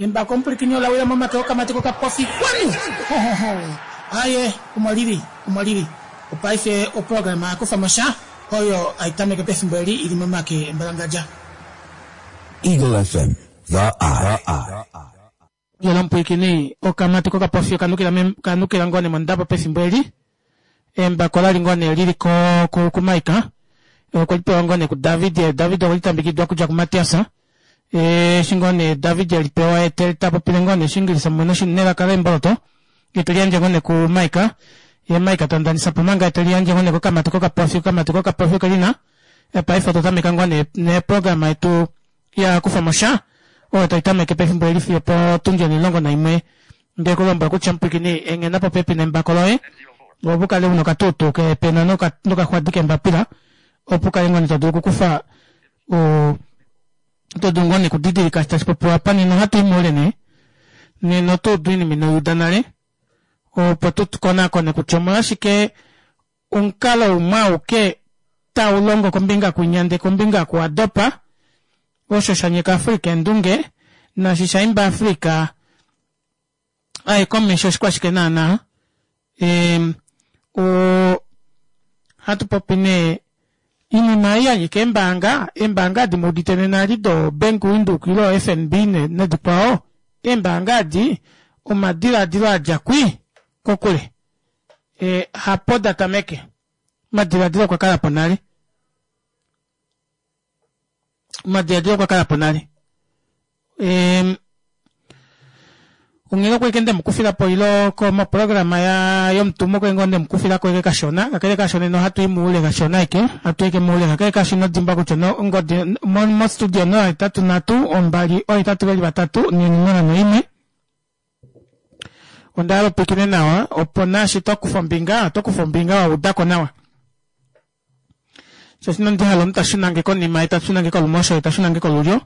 Embako omupwilikini ola wila momake okamati kokapofi kwanu! Hohoho! Aye, omo li li, omo li li. Opaife oprograma ya kufa mo sha, oyo hai tameke pefimbo eli i li momake embalangadja. Eagle FM, The Eye. Yela omupwilikini, okamati kokapofi oka nukila ka nukila ngoo nee mondabo pefimbo eli. Embako la li ngoo nee li li ko kuMaika. Okwe li pewa ngoo nee kuDavid. David okwe li tambekidwa okudja kuMatias. Eshi ngoo nee David e li pewa ye te ta popile ngoo nee Oshingilisa mumwe nelaka leemboloto, ye te li yandje ngoo nee kuMaika. Ye Maika ta ndanisa po manga ye te li yandje ngoo nee kokamati kokapofi. Okamati kokapofi oke li na. Paife otwa tameka ngoo nee neprograma yetu ya kufa mo sha oyo tai tameke pefimbo eli fiyo potundi onhilongo naimwe. Nde ku lombwela kutya mupwilikini enghena popepi nembako loye opo u kale u na okatuutuu keepena nokaxwadi kembapila opo u kale ngoo nee to dulu okukufa to dulu ngoo nee okudidilika eshi tashi popiwa apa. Nena ohatu i moule nee nena oto udu oinima ino i uda nale opo tu konakone kutya omolwashike Omukalo umwe auke tau longo kombinga kwinya ndee kombinga oku wa dopa, osho sha nyeka Africa eendunge, naashi sha imba Africa a ye komesho oshikwashike naana? Eem, o, hatu popi nee inima ei ya nyika eembaanga, eembaanga adi mu udite nena eli do Bank Windhoek ile o FNB nodikwao, eembaanga adi omadilaadilo a dja kwi, kokule. E, hapo da tameke. Omadiladilo okwa kala po nale. Omadiladilo okwa kala po nale. E, onghee okwa ike nde mu kufila po ilo komoprograma ya yomutumo okwa ngoo nde mu kufila ko eke kashona kakele kaasho nena ohatu i moule kashona eke ohatu eke moule kakele kaasho ino dimbwa kutya no ongodi mostudio 083 2 8 3 4 noimwe Onda hala upwikine nawa opo naashi to kufa ombinga oto kufa ombinga wa uda ko nawa. Shaashi inandi hala omunhu ta shuna nge konima ye ta shuna nge kolumosho ye ta shuna nge kolulyo.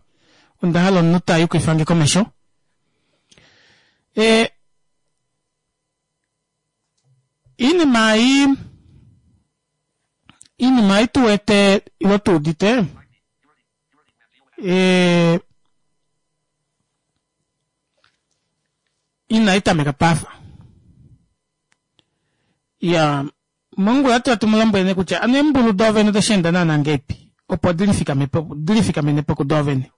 Onda hala omunhu ta yukifa nge komesho. E, iinima ei iinima ei tu wete ilo tu udite e, Inai tameka pafa. Ya, mongula otwa tu mu lombwele nee kutya ano eembulu doovene ode shi enda naana ngeipi opo di lifikame po, di lifikamene po kudoovene.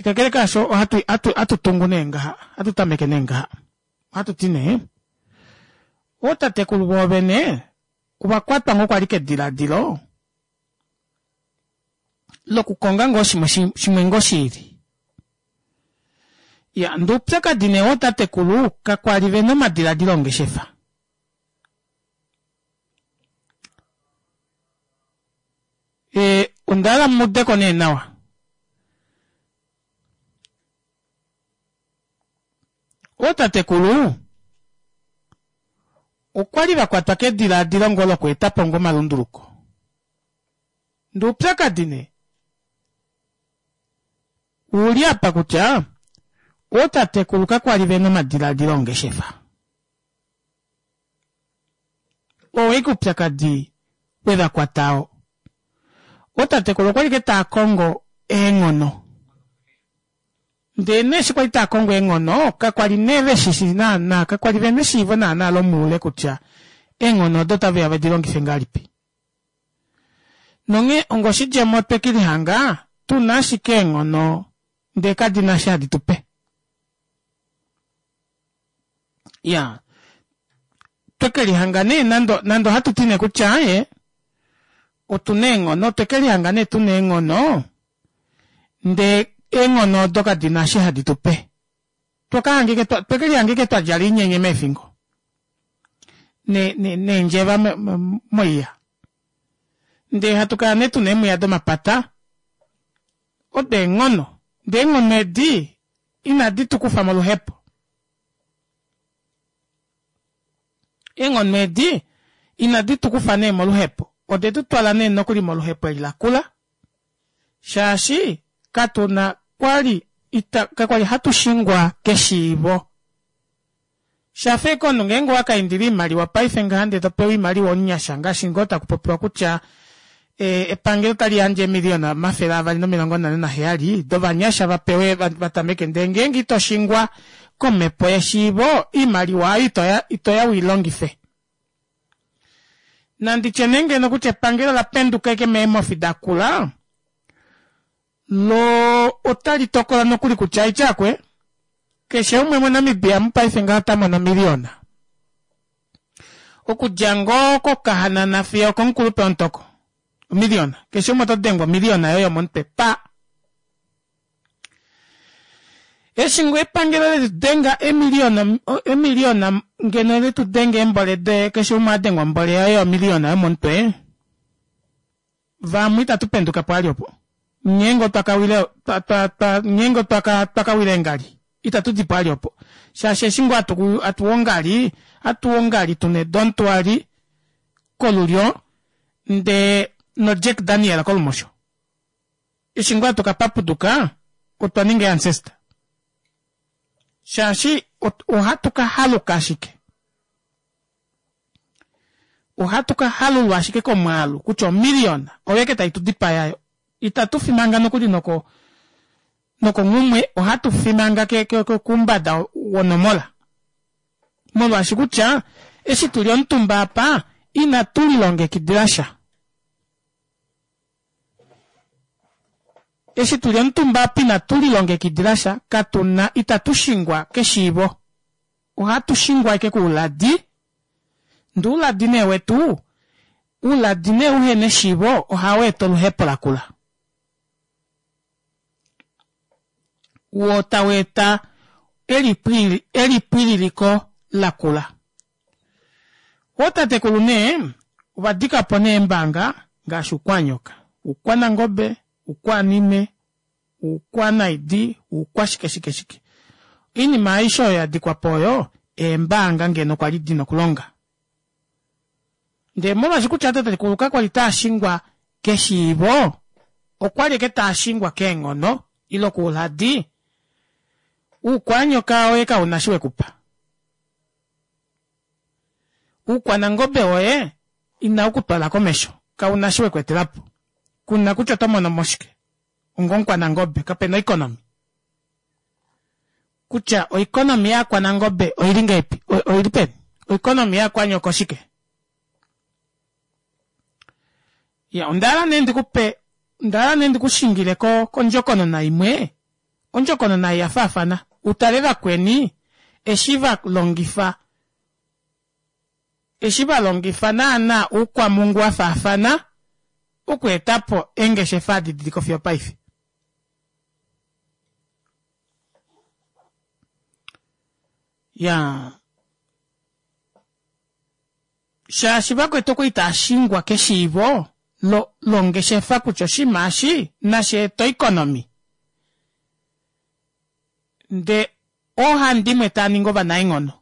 Kakele kaasho ohatu, hatu, hatu tungu nee ngaha, hatu tameke nee ngaha. Ohatu ti nee, ootatekulu voovene ova kwatwa ngoo kwali kediladilo lokukonga ngoo shimwe shimwe ngoo shiili. Ya, ndee oupyakadi nee wootatekulu kakwa li ve na omadiladilo ongeshefa. E, onda hala mu ude ko nee nawa. Ootatekulu okwa li va kwatwa kedilaadilo ngoo lokweeta po ngoo omalunduluko. Ndee oupyakadi nee ouli apa kutya ootatekulu kakwa li ve na omadilaadilo ongeshefa. Oo ashike oupyakadi we va kwata oo. Ootatekulu okwa li ashike taa kongo eenghono. Ndele nee eshi kwali taa kongo eenghono, kakwa li nee ve shi shii naanaa, kakwa li ve na eshiivo naanaa lomuule kutya eenghono odo otave ya ve di longife ngahelipi. Nonghee ongoshidjemo otwe ke lihanga tu na ashike eenghono ndele kadi na eshi hadi tu pe. Ya, twe ke lihanga nee nande, nande ohatu ti nee kutya aaye, otu na eenghono, otwe ke lihanga nee tu na eenghono, ndee eenghono odo kadi na eshi hadi tu pe. Twe ke lihanga ike twa djala oinyenye meefingo neendjeva moiya. Ndee hatu kala nee tu na eemwiya domapata, odo eenghono. Ndee eenghono edi inadi tu kufa moluhepo. Eenghono edi inadi tu kufa nee moluhepo, ode tu twala nee nokuli moluhepo eli lakula. Shaashi katu na kwa li ita, kakwa li hatu shingwa keshiivo. Sha fa ashike omunhu ngeenge owa ka indila oimaliwa paife ngaha ndee to pewa oimaliwa omunyasha ngaashi ngoo taku popiwa kutya Epangelo otali yandje eemiliyona 247 dovanyasha va pewe va tameke ndee ngeenge ito shingwa komhepo yeshiivo oimaliwa oyo ito ya u i longife. Nandi tye nee ngeno kutya epangelo ola penduka ashike meemhofi da kula lo otali tokola nokuli kutya aityakwe keshe umwe moNamibia mopaife ngaha ota mono omiliyona. Okudja ngoo kokahanana fiyo okomukulupe womutoko. Omiliyona. Keshe umwe oto dengwa omiliyona yoye yomomutwe pa. Eshi ngoo epangelo letu denga emiliyona emiliyona ngeno letu denga eembole doye keshe umwe a dengwa ombole yaye yomiliyona yomomutwe. Vamwe itatu penduka po ali opo. Ngeenge otwa ka wile twa twa twa ngeenge otwa ka twa ka wila eengali itatu di po ali opo. Shaashi eshi ngoo hatu hatu ongali, hatu ongali tuna edontwali kolulyo ndee noJack Daniel kolumosho. Eshi ngoo hatu ka papuduka otwa ninga eeancestor. Shaashi ohatu ka haluka ashike. Ohatu ka halulwa ashike komwaalu kutya omiliyona oyo eke tai tu dipaya yo. Itatu fi manga nokuli noko nokonghumwe ohatu fi manga ke, ke, ke, kumbada wonomola. Molwaashi kutya eshi tu li omutumba apa inatu lilongekidila sha. Eshi tu li omutumba apa inatu lilongekidila sha, katu na itatu shingwa keshiivo. Ohatu shingwa ashike kouladi, ndee ouladi nee wetu, ouladi nee uhena eshiivo ohau eta oluhepo lakula. Woo tau eta elipwililiko lakula. Ootatekulu nee ova dika po nee eembanga ngaashi Uukwanyoka, Uukwanangobe, Uukwanime, Uukwanaidi, uukwashike shike shike. Oinima aishe oyo ya dikwa po oyo eembaanga ngeno kwa li di na okulonga. Ndele molwaashi kutya tatekulu kakwa li taa shingwa keshiivo, okwa li eke taa shingwa keenghono ile kouladi, uukwanyoka woye kau na shi we ku pa. Uukwanangobe woye inau ku twala komesho, kau na shi we ku etela po. Ku na kutya oto mono mo shike. ongomukwanangobe kape na oikonomi kutya oikonomi yaakwanangobe oili ngahelipi oili peni oikonomi yaakwanyoko oshike ya onda hala nee ndikupe onda hala nee ndikushingile ko kondjokonona imwe ondjokonona ei ya faafana utale vakweni eshi va longifa eshi va longifa naana oukwamungu wa faafana okweeta po eengeshefa adi di li ko fiyo opaife. Ya shaashi vakwetu okwa li taa shingwa keshiivo lo longeshefa kutya oshinima eshi nashi ete oikonomi nde oohandimwe taa ningi ovanaenghono.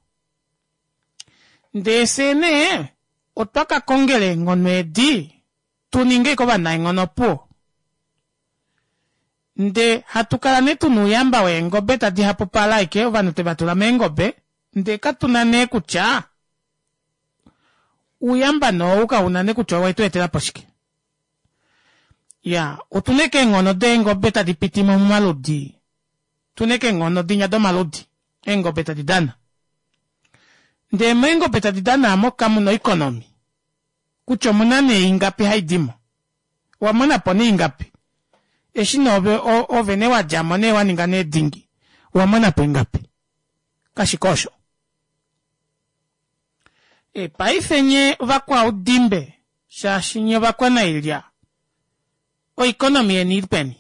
Ndee fyee nee otwa ka kongela eenghono edi tu ninge ashike ovanaenghono opuwo. Nde hatu kala nee tuna ouyamba weengobe tadi hapupala ashike ovanhu twe va tula meengobe ndee katu na nee kutya ouyamba nee ou kauna nee kutya owe tu etela po shike. Ya otuna ashike eenghono deengobe tadi piti mo momaludi Tuna ashike eenghono dinya domaludi eengobe tadi dana. Ndee meengobe tadi dana amo kamu na oikonomi kutya omuna nee ingapi hai di mo. Owa mona po nee ingapi? Eshi nee ove, ove nee wa dja mo nee wa ninga nee dingi, owa mona po ingapi? Kashike osho. E, paife nye ovakwaudimbe, shaashi nye ovakwanailya, oikonomi yeni ili peni?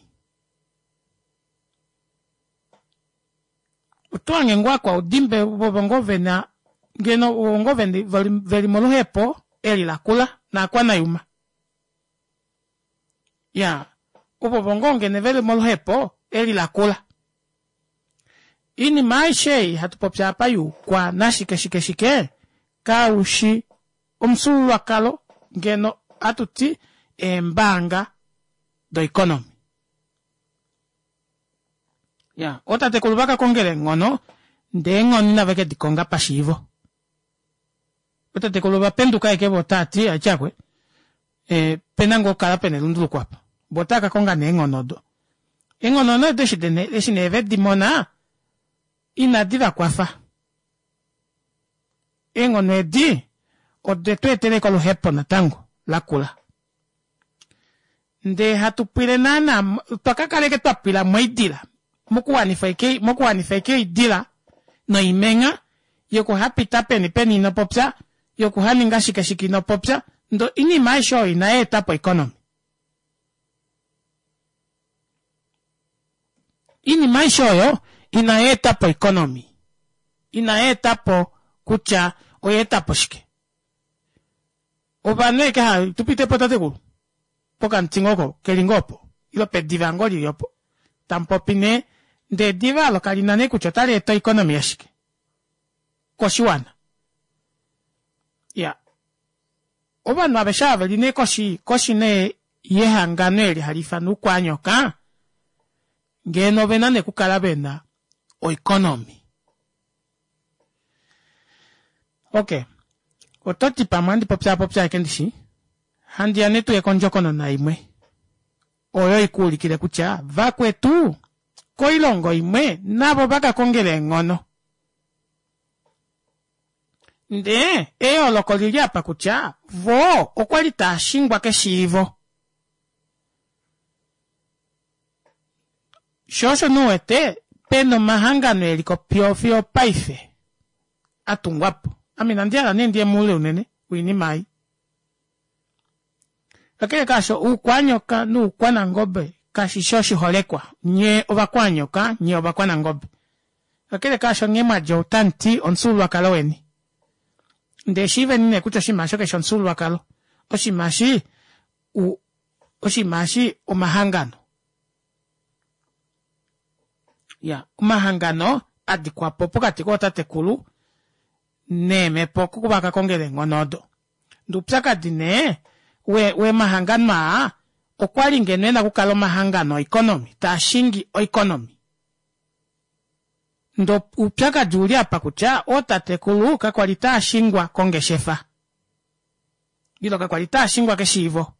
Oto hange ngoo akwaudimbe vovo ngoo vena ngeno ovo ngoo veli moluhepo eli lakula naakwanayuma. Ya ovovo ngoo ngeno veli moluhepo eli lakula. Iinima aishe ei hatu popi apa yuukwa nashike shike shike kaushi omufyuululwakalo ngeno hatu ti eembaanga doeconomy. Ya, ootatekulu va ka kongela eenghono, ndee eenghono inave ke di konga pashiivo. Ootatekulu ova penduka ashike vo otaa ti, Aityakwe. E, pena ngoo okukala pena elunduluko apa. Vo otava ka konga nee eenghono odo. Eenghono nee odo eshi eshi nee ve di mona, inadi va kwafa. Eenghono edi ode tu etela ashike oluhepo natango lakula. Ndee hatu pwile naana, otwa ka kala ashike twa pwila moidila, mokuwanifa ashike, mokuwanifa ashike oidila noimengha yokuhapita peni peni ino popya, yokuhaninga shike shike ino popya, ndee oinima aishe oyo inai eta po oeconomy. Iinima aishe oyo inai eta po oeconomy. Inai eta po kutya oya eta po shike. Ovanhu eke ha tu pite po tatekulu pokamuti ngoo oko keli ngoo opo ile pediva ngoo lili opo tamu popi nee ndee ediva olo kali na nee kutya otali eta oeconomy yashike koshiwana. Iya ovanhu aveshe ava veli nee koshi koshi nee yehangano eli hali ifanwa Uukwanyoka ngeno ovena nee okukala vena oeconomy. Ok, oto ti pamwe handi popyaapopya ashike ndishi? Handi ya nee tuye kondjokonona imwe oyo i ku ulikile kutya vakwetu koilongo imwe navo va ka kongela eenghono. Ndee eyooloko oli li apa kutya vo okwa li taa shingwa keshiivo. Sho osho nee u wete pe na omahangano e li ko fiyo opaife a tungwa po. Ame inandi hala nee ndi ye moule unene woinima ei. Kakele kaasho, oukwanyoka noukwanangobe kashi shi oshiholekwa. Nye ovakwanyoka, nye ovakwanangobe. Kakele kaasho, nghee mwa dja otamu ti omufyuululwakalo weni. Ndee shiiveni nee kutya oshinima osho keshi omufyuululwakalo. Oshinima eshi oshinima eshi omahangano. Ya, omahangano a dikwa po pokati kootatekulu neemhepo oko va ka kongela eenghono odo. Ndee oupyakadi nee we, wemahangano aa okwa li ngeno e na okukala omahangano oeconomy, taa shingi oeconomy. Ndee oupyakadi ou li apa kutya ootatekulu kakwa li taa shingwa kongeshefa. Ile kakwa li taa shingwa keshiivo.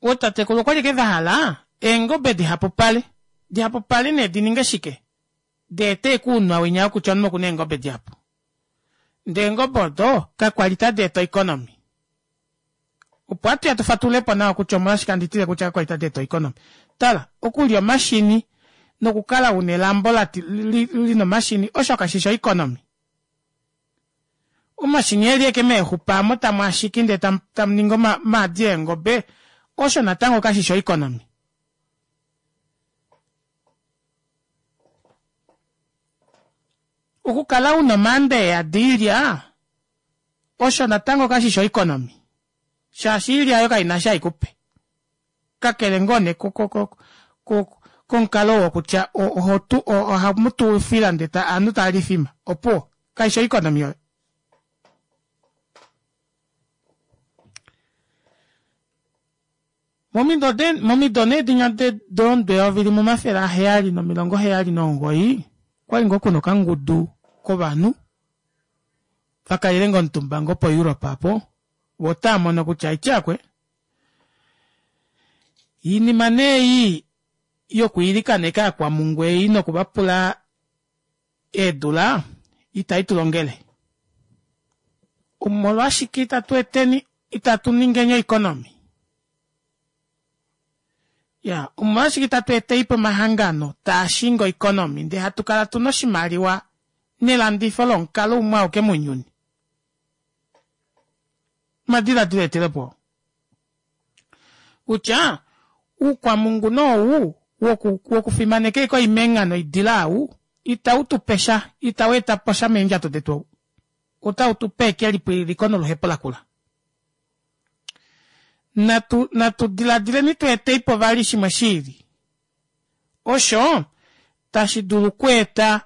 Ootatekulu okwa li ke va hala eengobe dihapupale. Dihapupale nee di ninge shike? Di ete ekuunwa winya wokutya omunhu oku na eengobe dihapu. Ndee eengobe odo kakwa li tadi eta oeconomy. Opo hatu ya tu fatulule po nawa kutya omolwashike handi tile kutya kakwa li tadi eta oeconomy. Tala, okulya omashini nokukala u na elambo li na omashini osho kashi shi oeconomy. Omashini eli eke meexupa amo tamu a shiki ndee tamu ningi omaadi eengobe, osho natango kashi shi oeconomy. Okukala u na omaanda e yadi oilya, osho natango kashi shi oeconomy, shaashi oilya oyo kai na eshi hai ku pe. Kakele ngoo nee komukalo wokutya ohamu tu oufila ndee ovanhu tava li oifima, opuwo, kai shi oeconomy oyo. Momido nee dinya doonde 1779 okwali ngoo kuna okangudu kovanhu vakalele ngoo omutumba ngoo po Europe apo vo otava mono kutya aityakwe iinima nee ei yokwiilikaneka aakwamhungu ei noku va pula eedula itai tu longele. Omolwashike itatu eteni itatu ningeni oeconomy? Ya, omolwashike itatu etei po omahangano taa shingi oeconomy ndee hatu kala tu na oshimaliwa nelandifo lomukalo umwe auke mounyuni? Omadiladilo etele po kutya uukwamhungu nee ou wokufimaneka ashike oimengha noidila ou itau tu pe sha, itau eta po sha meendjato detu ou. Otau tu pe ashike elipwililiko noluhepo lakula. Natu, natu diladileni tu etei po vali shimwe shi ili osho tashi dulu okweeta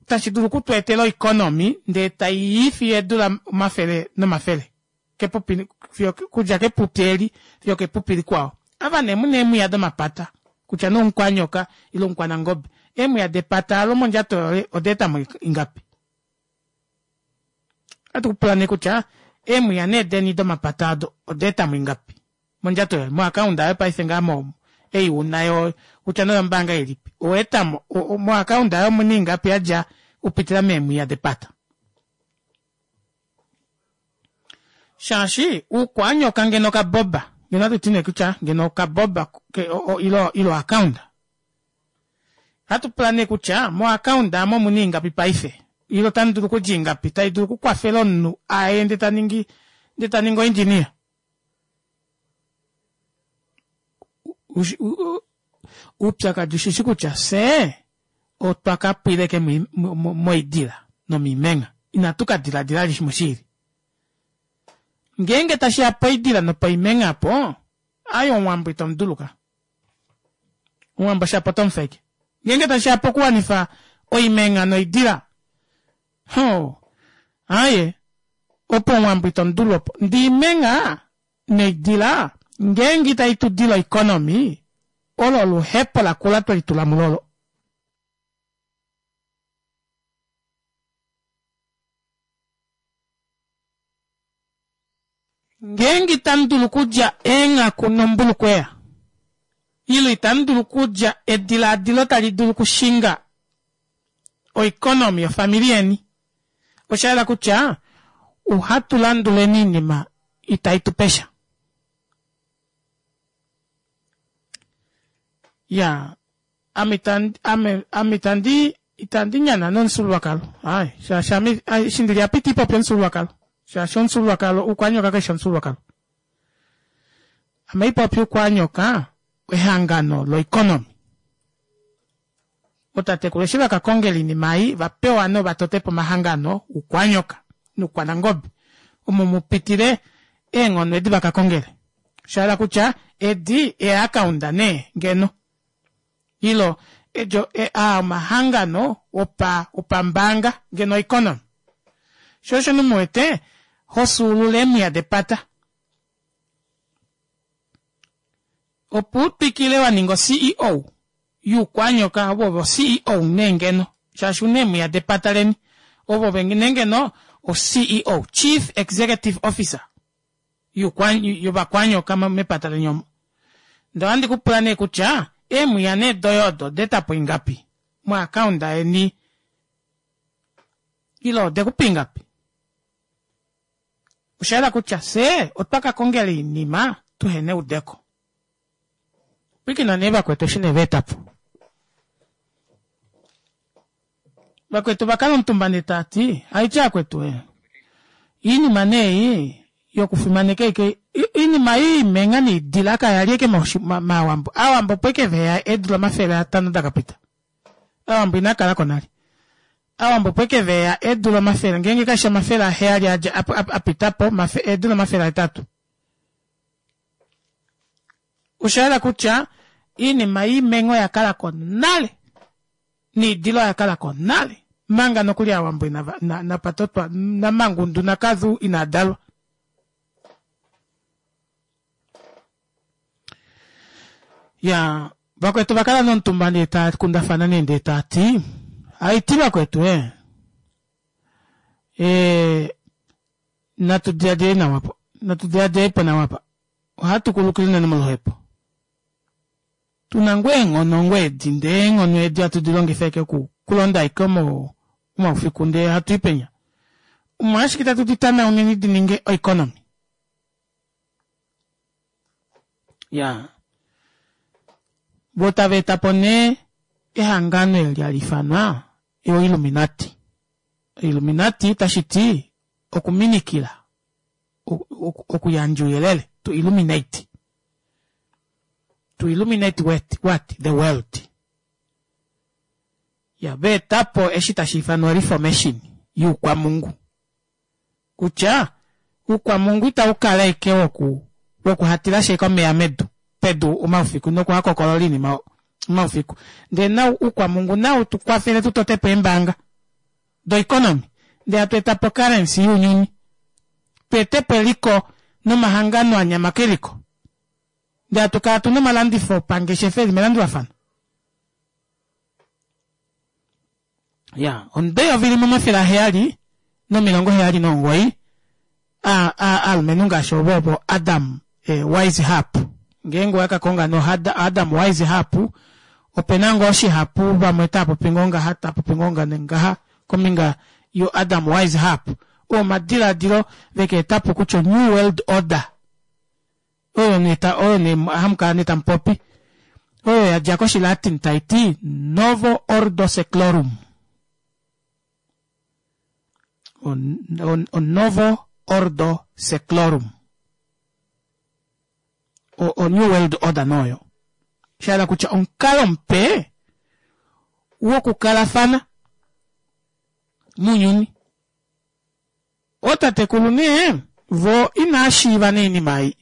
tashi dulu oku tu etela oeconomy ndee tai i fiyo eedula omafele nomafele kepupi fiyo kudja kepupi eli fiyo kepupi likwao. Ava nee mu na eemwiya domapata kutya nee omukwanyoka ile omukwanangobe. Eemwiya depata olo mondjato yoye oda eta mo ingapi? Ohatu ku pula nee kutya eemwiya nee deni domapata odo oda eta mo ingapi mondjato yoye moakaunda yoye paife ngaa mo ei una yo kutya nee oyombaanga ilipi owa eta mo moakaunda yoye omuna ingapi yadja upitila meemwiya depata. Shaashi uukwanyoka ngeno okaboba ngeno ohatu ti nee kutya ngeno okaboba ilo ilo akaunda Ohatu pula nee kutya moakaunda amo omuna ingapi paife ile otamu dulu okudja ingapi tai dulu okukwafela omunhu aye ndee ta ningi ndee ta ningi oindjinia. Oupyakadi ushishi kutya fye otwa ka pwila eke moidila nomiimenha inatu ka diladila vali shimwe shiili. Ngeenge tashi ya poidila nopoimenha apo, aaye omuwambo ito mu dulu ka. Omuwambo shapo oto mu feke. Ngeenge tashi ya pokuwanifa oimenha noidila, hoo, aaye, opo omuwambo ito mu dulu opo. Ndee iimenha noidila ngeenge itai tu dile oeconomy, olo oluhepo lakula twe litula mulo olo. Ngeenge itamu dulu okulya eenghaku nombulukweya, ile itamu dulu okulya edilaadilo tali dulu okushinga oeconomy yofamili yeni, osha yela kutya ohatu landuleni oinima itai tu pe sha. Ya, ame itandi, ame, ame itandi, itandi nyana nomufyuululwakalo. Ai, shaashi ame, eshi ndili apa iti popi omufyuululwakalo. Shaashi omufyuululwakalo, Uukwanyoka kaishi omufyuululwakalo. Ame ipopi Uukwanyoka ehangano loeconomy. Ootatekulu eshi vaka kongela oinima ei, va pewa nova totepo omahangano Uukwanyoka nUukwanangobe omo mu pitile eenghono edi vaka kongele. Osha hala kutya edi eeakaunda nee ngeno ilo edjo aa omahangano opa opambaanga ngeno oeconomy. Sho osho nee mu wete ho fyuulula eemwiya depata. Opo u twikile wa ninga o-CEO yUukwanyoka ove ove o-CEO nee ngeno shaashi una eemwiya depata leni ove ove nee ngeno o-CEO, Chief Executive Officer, yOvakwanyoka mepata leni omo. Ndee ohandi ku pula nee kutya eemwiya nee doye odo oda eta po ingapi moakaunda yeni ile ode ku pa ingapi? Osha yela kutya fye otwa ka kongela oinima tuhena eudeko. Pwilikina nee vakwetu eshi nee va eta po. Vakwetu va kala omutumba nee taa ti, Aitya akwetu e, iinima nee ei yokufimaneka eke, iinima ei imenga niidila kaya li eke maawambo. Aawambo opo eke veya eedula 500 da ka pita. Aawambo inaa kala ko nale. Aawambo opo eke veya eedula omafele, ngeenge kashi 700 a dja, a pita po, eedula 800. Osha yela kutya iinima yiimenka oya kala ko nale niidhila oya kala ko nale manga nokuli Aawambo inava napa totwa naMangundu naKadhu inaa dalwa. Ya vakwetu va kala nomutumba ndee taya kundafana nee ndee taya ti haiti vakwetu ee ee natu diladile nawa po natu diladile po nawa pa ohatu kulukile unene moluhepo tuna ngoo eenghono ngoo edi ndee eenghono edi hatu di longifa eke oku kulonda eke omaufiku ndee hatu i penya omolwashike tatu di tanauneni di ninge oeconomy ya vo tava eta po nee ehangano eli hali ifanwa oIlluminati Illuminati tashi ti okuminikila, okuyandja ouyelele, to illuminate. To illuminate what? What? The world. Ya, va eta po eshi tashi ifanwa reformation yuukwamungu. Kutya uukwamungu itau kala eke woku wokuhatila shi eke omeya medu pedu omaufiku nokuhakokolola iinima omaufiku. Ndele nau uukwamungu nau tu kwafele tu tote po eembaanga doeconomy ndele hatu eta po currency younyuni. Tu ete po eliko nomahangano a nyama keliko. Ndele hatu kala tu na omalandifo opangeshefa eli melandulafano. Ya, omudeyovi limwe 700. 1879 aalumenhu ngaashi ovo ovo Adam Weishaupt. Ngeenge owa ka konga no Adam Weishaupt, ope na ngoo shihapu vamwe tava popi ngoo ngaha, tava popi ngoo ngaha kombinga yo Adam Weishaupt. Oo omadilaadilo veka eta po kutya New World Order oyo nee ta oyo nee hamu kala nee tamu popi oyo ya dja koshilatin tai ti Novo Ordo Seclorum. O Novo Ordo Seclorum. O, o New World Order noyo. Sha hala kutya omukalo mupe wokukalafana mounyuni. Ootatekulu nee vo inaa shiiva nee inima ei.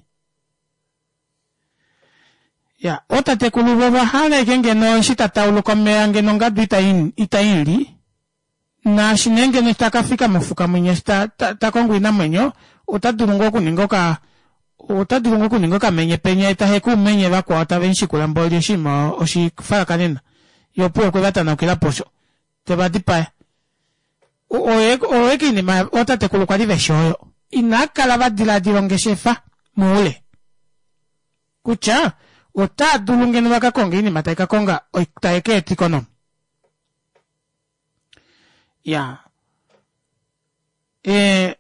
Ya, ootatekulu vo ova hala ashike ngeno eshi ta tauluka omeya ngeno ongadu itai mu li, naashi nee ngeno eshi taka fika mofuka mwinya eshi ta, ta, ta kongo oinamwenyo, ota dulu ngoo okuninga oka, ota dulu ngoo okuninga okamenye penya ye ta heke oumenye vakwao tave mu shikula mboli oshinima oshifalakanena. Ye opuwo okwe va tanaukila po osho. Te va dipaya. Oye, oye kiinima ootatekulu kwali veshi oyo. Inaa kala va diladila ongeshefa muule. Kutya otaa dulu ngeno va ka konge oinima tai ka konga, tai ka eta economy. Ya. E,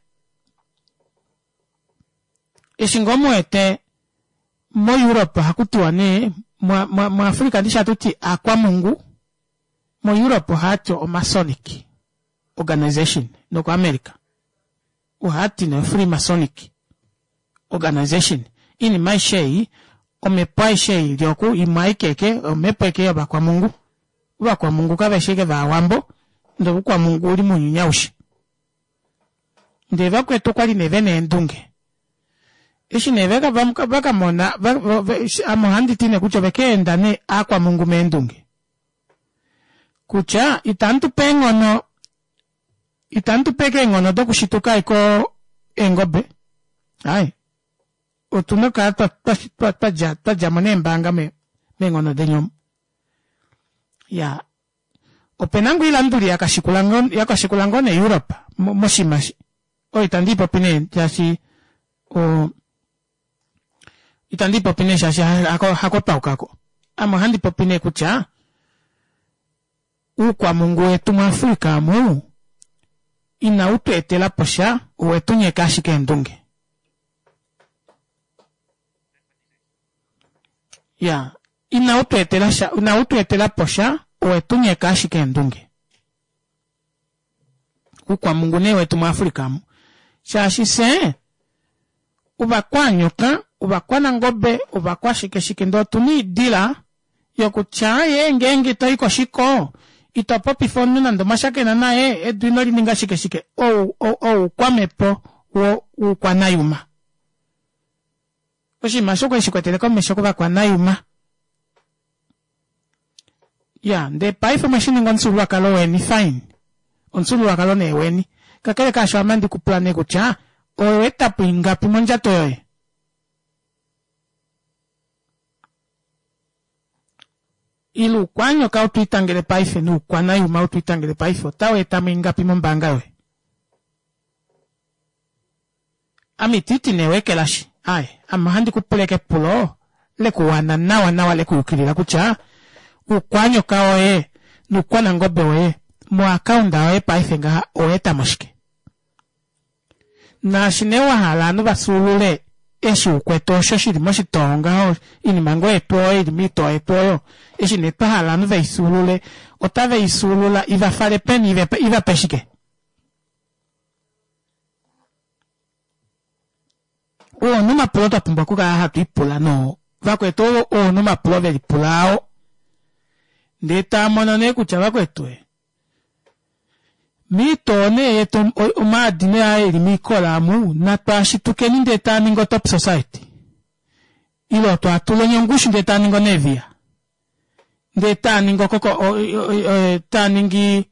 eshi ngoo mu wete moEurope ohaku tiwa nee, muAfrica ndishi hatu ti aakwamungu, moEurope ohaya ti oMasonic Organization nokoAmerica ohaya ti nee Freemasonic Organization. Iinima aishe ei, omhepo aishe ei ili oku, imwe aike eke, omhepo eke yovakwamungu. Ovakwamungu kave shi eke vaawambo, ndele oukwamungu ouli mounyuni aushe. Ndele vakwetu okwali nee vena eendunge. Eshi nee vaka, vaka mona, ame ohandi ti nee kutya oveka enda nee aakwamungu meendunge. Kutya itamu tu pe eenghono, itamu tu pe eenghono dokushituka ashike eengobe, aaye, otu na okukala twa, twa, twa, twa dja, twa dja mo neembaanga me, meenghono deni omu. Ya, ope na ngoo oilanduli ya ka shikula ngoo, ya ka shikula ngoo nee Europe mo, moshinima eshi. Oyo itandi i popi nee shaashi o, itandi i popi nee shaashi hako, hako twa yuka ko. Ame ohandi popi nee kutya uukwamungu wetu muAfrica omu inau tu etela po sha, owe tu nyeka ashike eendunge. Ya, inau tu etela sha, inau tu etela po sha, owe tu nyeka ashike eendunge. Uukwamungu nee wetu muAfrica omu. Shaashi fye ovakwanyoka, ovakwanangobe, ovakwashikeshike ndee otu na oidila yokutya ye ngeenge to i koshiko ito popifa omunhu nande omwa shakena naye edu ino li ninga shike shike. Ou oukwamhepo woukwanayuma. Oshinima osho okwali shikwetele komesho kovakwanayuma. Ya, ndee paife omwe shi ninga omufyuululwakalo weni, fine. Omufyuululwakalo nee weni. Kakele kaasho ame andi ku pula nee kutya, owe eta po ingapi mondjato yoye? Ile oukwanyoka ou to itangele paife noukwanayuma ou to itangele paife otau eta mo ingapi mombaanga yoye? Ame ititi nee weekelashi, aaye, ame ohandi ku pula eke epulo lekuwana nawa nawa lekuyukilila kutya uukwanyoka woye nuukwanangobe woye moakaunda yoye paife ngaha owa eta mo shike? Naashi nee wa hala ovanhu va fyuulule eshi u kwete osho shi li moshitoo ngaho, oinima ngoo yetu oyo i li moitoo yetu oyo, eshi nee twa hala ovanhu ve i fyuulule, otave i fyuulula i va fale peni, i va pe shike? Oo omapulo twa pumbwa okukala hatu ipula noo vakwetu oo omapulo ve lipula ao ndee taa mono nee kutya vakwetu e miitoo nee yetu omaadi nee aa eli miikola amu natwaashitukeni ndee taa ningi otop society ile otwaa tuleni ongushu ndee taa ningi oneviya ndee taa ningi okoko taa ningi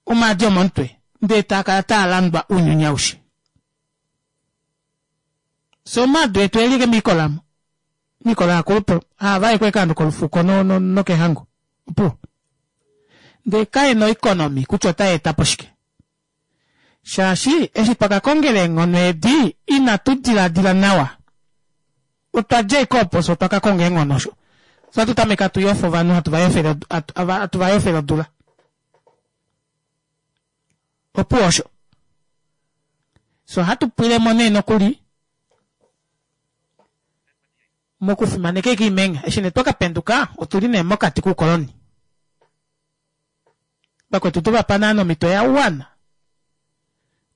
Omaadi omomutwe, ndee taa kala taa landwa ounyuni aushe. Fye omaadi etu e li miikola mo, miikola yaakulupe, haa vaekwa ashike ovanhu kolufuko no, no, nokehango. Opuwo. Ndee kae na oeconomy kutya otai eta po shike. Shaashi eshi twa ka kongela eenghono edi inatu diladila nawa. Otwa dja ashike opo fye otwa ka konga eenghono osho. Fye ohatu tameke hatu yofa ovanhu hatu va yofele hatu va yofele odula. Opuwo osho. Fye ohatu pwile mo nee nokuli mokufimaneka ashike oimenha. Eshi nee twa ka penduka otu li nee mokati koukoloni. Vakwetu tu va pa naana omhito ya wana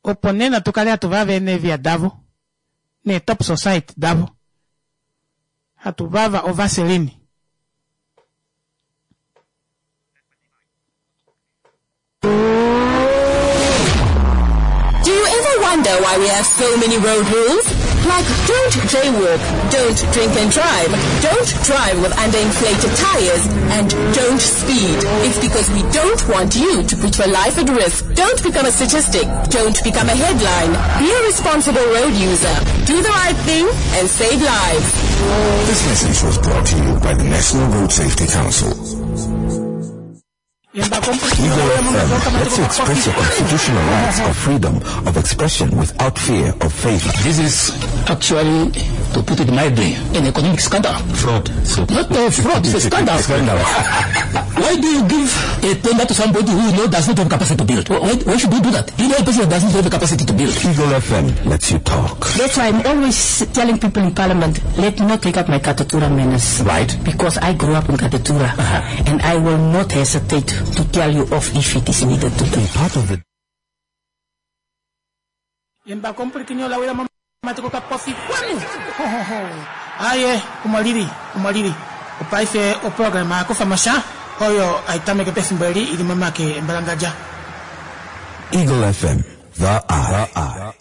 opo nena tu kale hatu vava eenevia davo neetop society davo hatu vava ovaseline. Do you ever wonder why we have so many road rules? Like don't jaywalk, don't drink and drive, don't drive with underinflated tires, and don't speed. It's because we don't want you to put your life at risk. Don't become a statistic. Don't become a headline. Be a responsible road user. Do the right thing and save lives. This message was brought to you by the National Road Safety Council. Eagle FM lets you express your constitutional rights of freedom of expression without fear of favor. This is actually, to put it mildly, an economic scandal. Fraud. So Not a fraud, it's a scandal. Scandal. Why do you give a tender to somebody who you know does not have capacity to build? Why, why should you do that? You know a person that doesn't have the capacity to build. Eagle FM lets you talk. That's why I'm always telling people in Parliament, let me not take up my Katutura manners. Right. Because I grew up in Katutura. And I will not hesitate to tell you off if it is needed to do. Be part of the Embako omupulikini ola wila momatiko kapofi kwanu aye omo lili omo lili opaife oprograma ya kufa mosha oyo aitameke pefimbo eli ili momake embalangadja Eagle FM, the eye.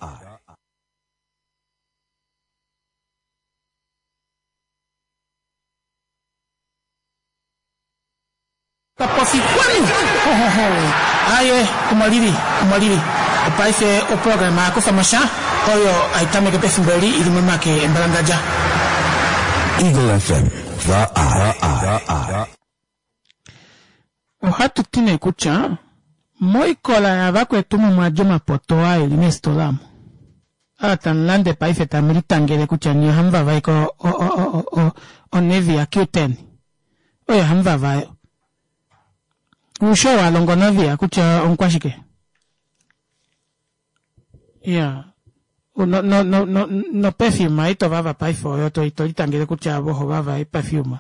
Kapofi kwanu aye omo lili omo lili opaife oprograma ya kufa mosha oyo aitameke pefimbo eli ili momake embalangadja Eagle FM, the eye. Ohatu ti nee kutya moikola yavakwetu omo mwa dja omapoto aa eli meesitola omu aa tamu lande paife tamu litangele kutya nye ohamu vavaeke oNevia Q10 oyo hamu vava Ushi oo a longa oNavia kutya omukwashike? Ya. No, no, no, no, no perfume ito vava paife oyo to ito litangele kutya avo oho vava perfume.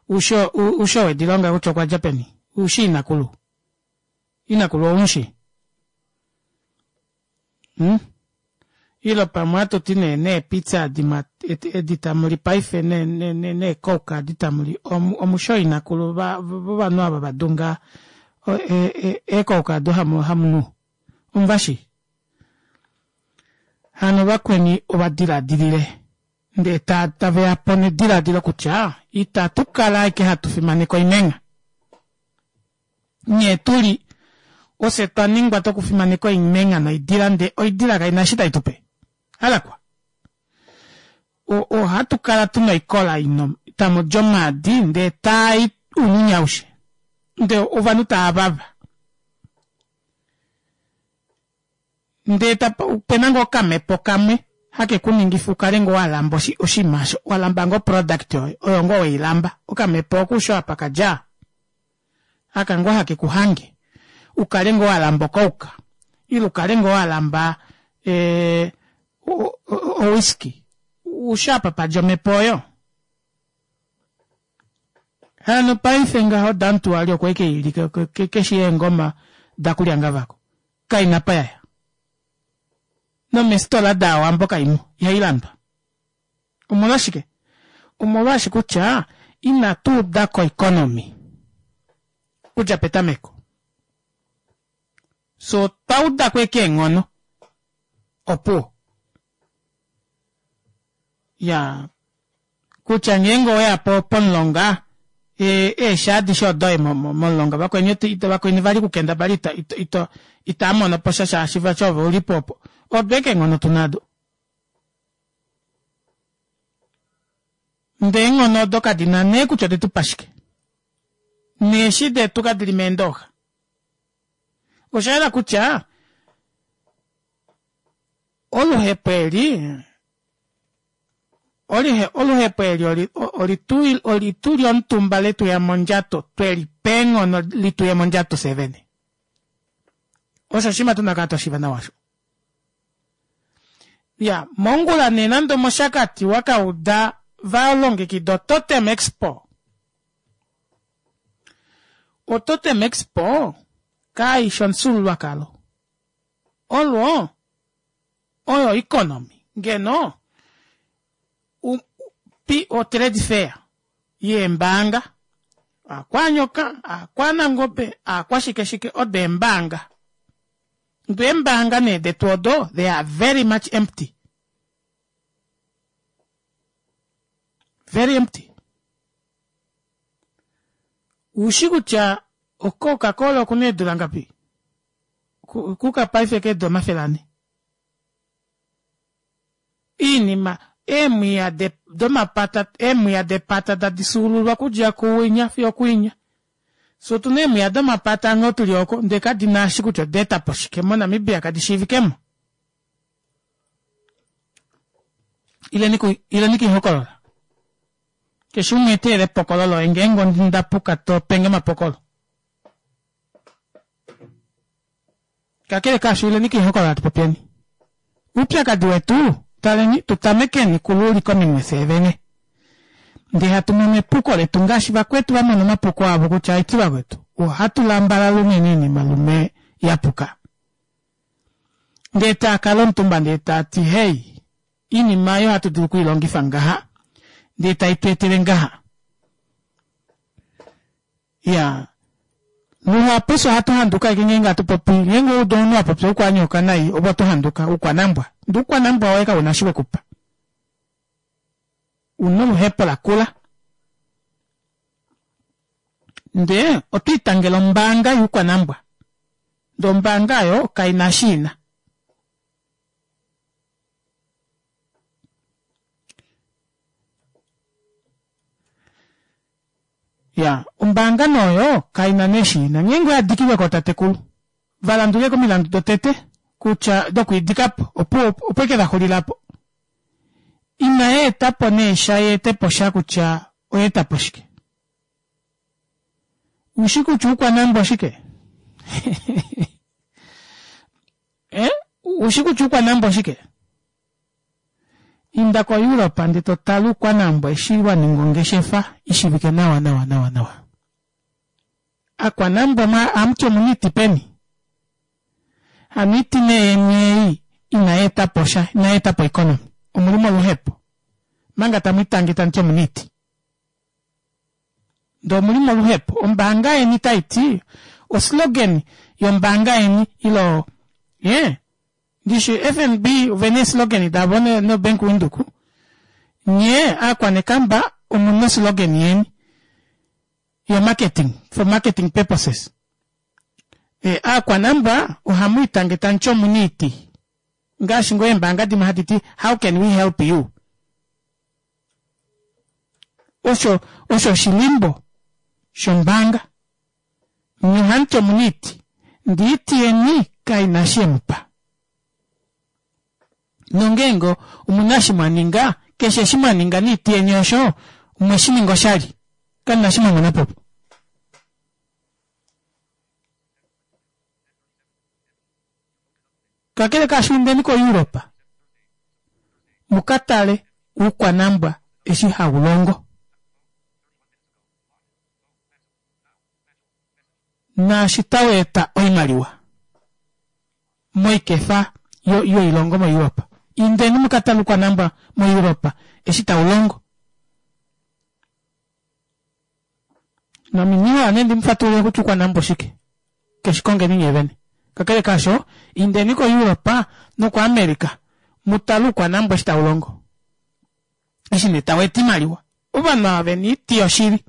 Ushi ushi owe dilonga kutya okwa dja peni? Ushi inakulu. Inakulu oumushi. Hmm? Ilo pamwe atu ti nee neepizza adi mwa edi tamu li paife ne ne ne neecoke adi tamu li omusho inakulu vovanhu ava va dunga eecoke ado hamu hamu nu. Omuvashi? Hano vakweni ova diladilile ndee ta tave ya po nediladilo kutya itatu kala ashike hatu fimaneke oimengha. Nghee tu li ofye twa ningwa tokufimaneka oimengha noidila ndee oidila kai na eshi tai tu pe. Halakwa. Ohatu kala tu na oikola ino tamu di omaadi ndee taa i ounyuni aushe. Ndee ovanhu tava vava. Ndee tapa ope na ngoo okamhepo kamwe hake ku ningifa u kale ngoo wa lamba oshinima osho, wa lamba ngoo oproduct oyo, oyo ngoo we i lamba. Okamhepo oko usho apa ka dja, aka ngoo hake ku hange u kale ngoo wa lamba okouka ile u kale ngoo wa lamba e, owhiskey. Usho apa pa dja omhepo oyo. Hano paife ngaho Dantuali okwa ike ili keshi eengoma dakulyangavako. Kaina pa yaya. Nomesitola daawambo kaimo, ihai landwa. Omolwashike? Omolwaashi kutya inatu uda ko economy kudja petameko. So otwa uda ko eke eenghono. Opuwo. Ya kutya ngeenge owe ya po pomulonga eeshi adishe odoye momulonga vakweni vakweni vali kukendabala ito ito ito itaa mono po sha shaashi vati ove uli po opo odo eke eenghono tu nado ndee eenghono odo kadi na nee kutya ode tu pa shike neeshi detu kadi li meendooxa osha yela kutya. Oluhepo eli oluhepo eli oli tu lyomutumba letu ya mondjato, twe li pa eenghono li tuye mondjato fye vene. Osho oshinima tuna kala twa shiiva nawa osho. Ya, mongula nee nande omOshakati wa ka uda va longekida oTotem Expo. OTotem Expo kai shi omufyuululwakalo. Olwo oyo economy ngeno otrade fair yeembaanga aakwanyoka aakwanangobe aakwashikeshike odo eembaanga ndo eembaanga nee detu odo they are very much empty very empty ushi kutya ococa-cola okuna eedula ngapi kuka paife keedula 400. Iinima eemwiya domapata eemwiya depata tadi fyuululwa okudja kuwinya fiyo okuwinya. Fye otuna eemwiya domapata nghee tuli oko ndee kadi na eshi kutya oda eta po shike moNamibia kadi shiivikemo. Ileni kuihokolola. Keshe umwe eteele epokolo loye ngeenge onda puka to penge omapokolo. Kakele kaasho, ileni koihokolola tu popyeni oupyakadi wetu. Taleni, tu tamekeni kuluulika ominwe fyee vene, ndee hatu mono epuko letu ngaashi vakwetu va mona omapuko avo kutya aiti vakwetu ohatu lambalala unene oinima lume ya puka. Ndee taa kala omutumba ndee taa ti, Hey, Iinima oyo ohatu dulu oku i longifa ngaha ndee tai tu etele ngaha. Ya, luhapu fye ohatu handuka ashike ngeenge hatu popi, ngeenge wa udu omunhu a popya oukwanyoka nai ove oto handuka, oukwanambwa. Ndee oukwanambwa woye kau na eshi we ku pa. U na oluhepo lakula. Ndee oto itangele ombaanga youkwanambwa, ndee ombaanga oyo kai na eshi i na. Ya, ombaanga nee oyo kai na nee eshi i na. Ngeenge oya dikilwe kootatekulu, va landule komilandu dotete kutya dokwiidika po, opuwo opo eke va xulila po. Inai eta po nee sha ya ete po sha kutya oya eta po shike. Ushi kutya oukwanambwa oshike? Eh? Ushi kutya oukwanambwa oshike? Inda koEurope ndee to tale oukwanambwa eshi wa ninga ongeshefa i shivike nawa nawa nawa nawa. Akwanambwa mwa amuti omuna oiti peni? Hano oiti nee yeni ei inai eta po sha, inai eta po economy. Omuli moluhepo. Manga tamu itange tamu ti omuna oiti. Ndee omuli moluhepo. Ombaanga yeni tai ti, oslogan yombaanga yeni ilo ye ndishi FNB ovena eeslogan davo noBank Windhoek. Nye aakwanekamba omuna oslogan yeni yo marketing for marketing purposes. E, aakwanambwa ohamu itange tamu ti omuna iiti. Ngaashi ngoo eembaanga dimwe hadi ti how can we help you? Osho osho oshilimbo shombaanga. Nye ohamu ti omuna iiti, ndee iiti yeni kai na eshi ye mu pa. Nongeenge omu na eshi mwa ninga, keshe eshi mwa ninga niiti yeni osho, omwe shi ninga oshali. Kamu na eshi mwa mona po opo. Kakele kaasho indeni koEurope mu ka tale oukwanambwa eshi hau longo. Naashi tau eta oimaliwa moikefa yoilongo moEurope. Indeni mu ka tale oukwanambwa moEurope eshi tau longo. Naminyiwa ane ndi mu fatulule kutya oukwanambwa oshike. Keshi kongeni nye vene. Kakele kaasho, indeni koEurope nokoAmerica mu tale oukwanambwa eshi tau longo. Eshi nee tau eta oimaliwa. Ovanhu ava vena oiti yoshili.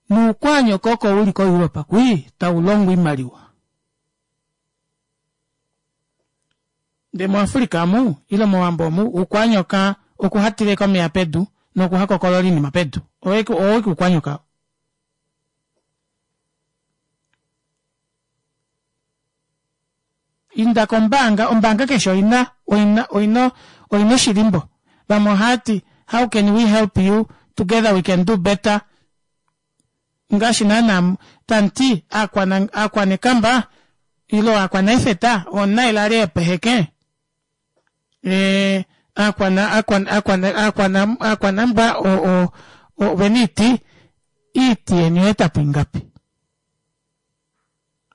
Nuukwaanyoka oko uli koEurope kwii tau longo oimaliwa. Ndee muAfrica omu, ile mOwambo omu, uukwanyoka okuhatileka omeya pedu nokuhakokolola iinima pedu. Owo ike uukwanyoka oo. Inda kombaanga, ombaanga keshe oina oina oina oina oshilimbo. Vamwe ohaya ti how can we help you, together we can do better. Ngaashi naana tamuti aakwana aakwanekamba ilo aakwanaifeta oonailali yopeheke. Eh, aakwana aakwana aakwana aakwana aakwanambwa o o ovena iiti iiti yeni oya etapo ingapi?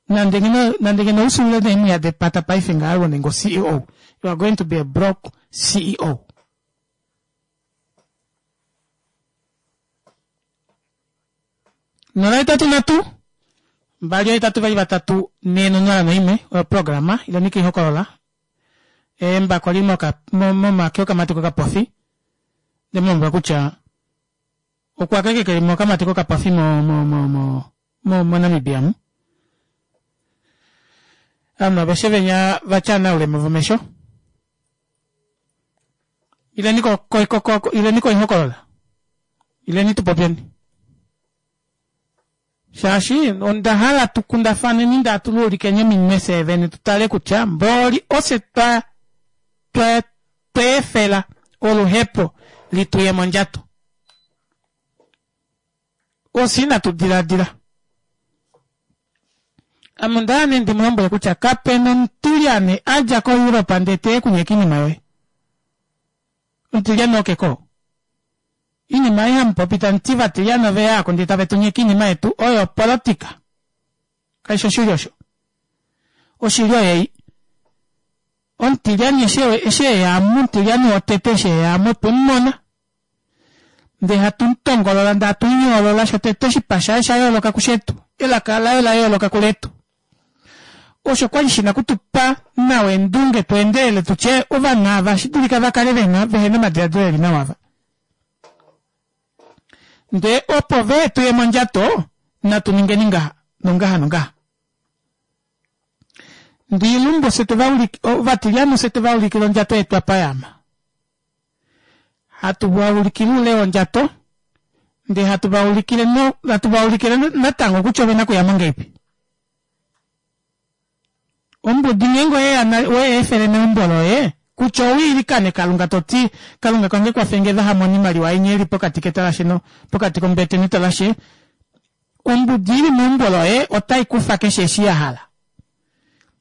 Nande ngeno nande ngeno usulule neemwiya depata paife ngaha wo ninga o-CEO you are going to be a broke CEO. 083 2 8 2 4 01 oyo programa ileni kiihokolola embako li momake okamati kokapofi ndemu lombwela kutya okwa keke keli mokamati kokapofi mo mo mo mo mo moNamibia mu ovanhu aveshe venya vatya naulema vomesho ileni ko ko ko ko ileni koihokolola ileni tupopyeni shaashi onda hala tu kundafaneni nda tu luulikeni ominwe fye vene tu tale kutya mboli ofye twa twa tweefela oluhepo li tuye mondjato ofye inatu diladila ame onda hala nee ndi mu lombwele kutya kapena omutilyane a dja koEurope ndee teye kunyeka iinima yoye omutilyane okeko Iinima ei hamu popi tamu ti vatilyane ove ya ko ndee tave tu nyeke iinima yetu oyo opolotika. Kai shi oshili osho. Oshili oyei. Omutilyane eshi eshi eya mu omutilyane wotete eshi eya mu otwe mu mona. Ndee hatu mu tongolola ndee hatu mu yoolola shotete oshipa shaye osha yooloka kushetu. Elaka laye ola yooloka kuletu. Osho kwali shina okutupa nawa eendunge tu endelele tu tye ovanhu ava ohashi dulika va kale vena vehena omadiladilo eli nawa ava. Ndee opo ve tu ye mondjato natu ningeni ngaha nongaha nongaha. Ndee ilumbu fye twe va ulike ovatilyane fye twe va ulikila ondjato yetu apa ya ama. Hatu va ulikile oule wondjato ndee hatu va ulikile no hatu va ulikile natango kutya ovena okuyamo ngahelipi. Ombudi ngeenge oye ya oye efele meumbo loye kutya owiilikane Kalunga to ti Kalunga kange kwafenge vaha mone oimaliwa inya ili pokati ketalashe no pokati kombete netalashe ombudi ili meumbo loye otai kufa keshe eshi ya hala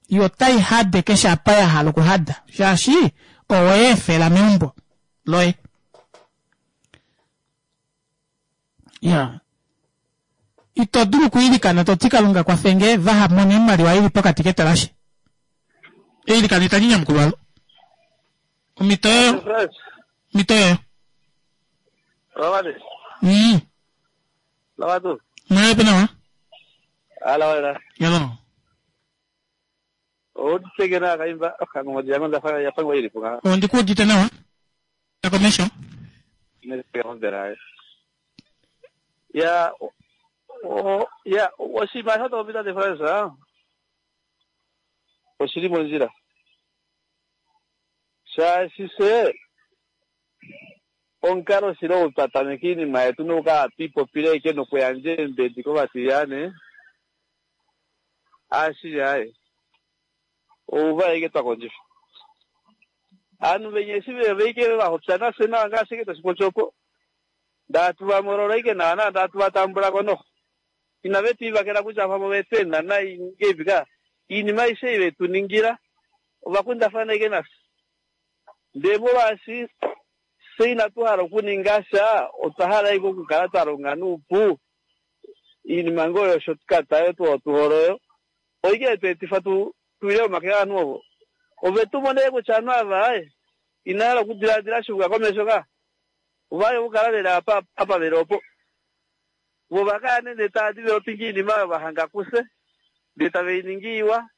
yo otai hade keshe apa ya hala okuhada shaashi owe efela meumbo loye Ya. Ito dulu okwiilikana to ti Kalunga kwafe nge vaha mone oimaliwa ili pokati ketalashe. Eilikano itali nyamukulwa lo. Omhito yoyo. Omhito yoyo. Lawale. Lawatu. Mwewe pe nawa. Ala wala. Yalo. Ouditeke kaimba okangongo yange ndafa yapangwa ilipo nga. Ondikuudite nawa. Takomesho. Ya o ya oshinima osho to popi Frans oshili mondjila shaashi fye omukalo shili ou twa tameka iinima yetu nokukala hatu ipopile ashike nokuyandja eembedi kovatilyane ashili aaye ouva ashike twa kondjifa Ovanhu venya eshi ve ike va hopya nafye nawa ngaashi ashike tashi popi opo, ndee hatu va molola ashike nawa nawa ndee hatu va tambula ko noho. Inave tu ivakela kutya pamwe ove tu enda nai ngeipi ka. Oinima aishe ei ve tu ningila ova kundafana ashike nafye. Ndee molwaashi fye inatu hala okuninga sha, otwa hala ashike okukala twa longa noupu, oinima ngoo yoshortcut oyo tu hole oyo, oike ye tu etifa tu tu wile momake ovanhu ovo. Ove tu mona ashike kutya ovanhu ava inava hala okudiladila sha okuya komesho ka. Ova hala okukala ve li apa apa ve li opo. Vo ova kala nee ndee tava developinga oinima oyo va hanga kufye, ndee tave i ningi iwa,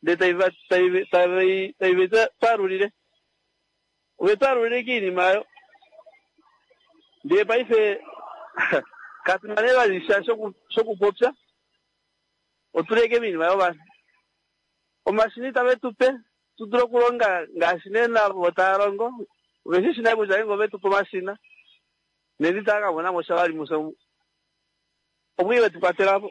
ndee tai va tai tai tai ve twalulile. Ove twalulile ashike oinima oyo. Ndee paife katu na nee vali sha shokupopya. Otu li ashike moinima yovanhu. Omashina itave tu pe tu dule okulonga ngaashi nee vo tava longo. Ove shi shi nale kutya ngeenge ove tu pe omashina, nena itava ka mona mo sha vali mufye omu. Omwii ve tu kwatela po.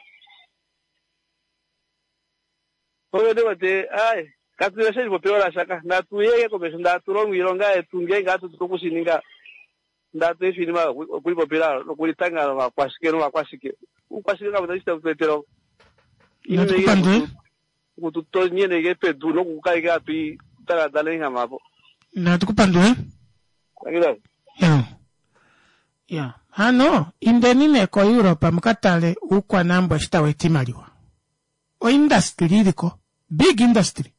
Ove ndi wete, aaye. Katu na lasha ka. Natu ye komesho ndatu longo iilonga yetu ngeenge hatu dulu okushininga. Ndatu efi iinima okulipopila nokulitanga novakwashike novakwashike. Uukwashike kapu na eshi tau tu etele. Natukupandule. Okututonyene pedu nokukaleka hatu i taladala enghamapo. Natukupandule. Thank Ya. Ya. Hano, indeni nee koEurope muka tale uukwanambwa eshi tau eta iimaliwa. Oindustry iliko. Big industry.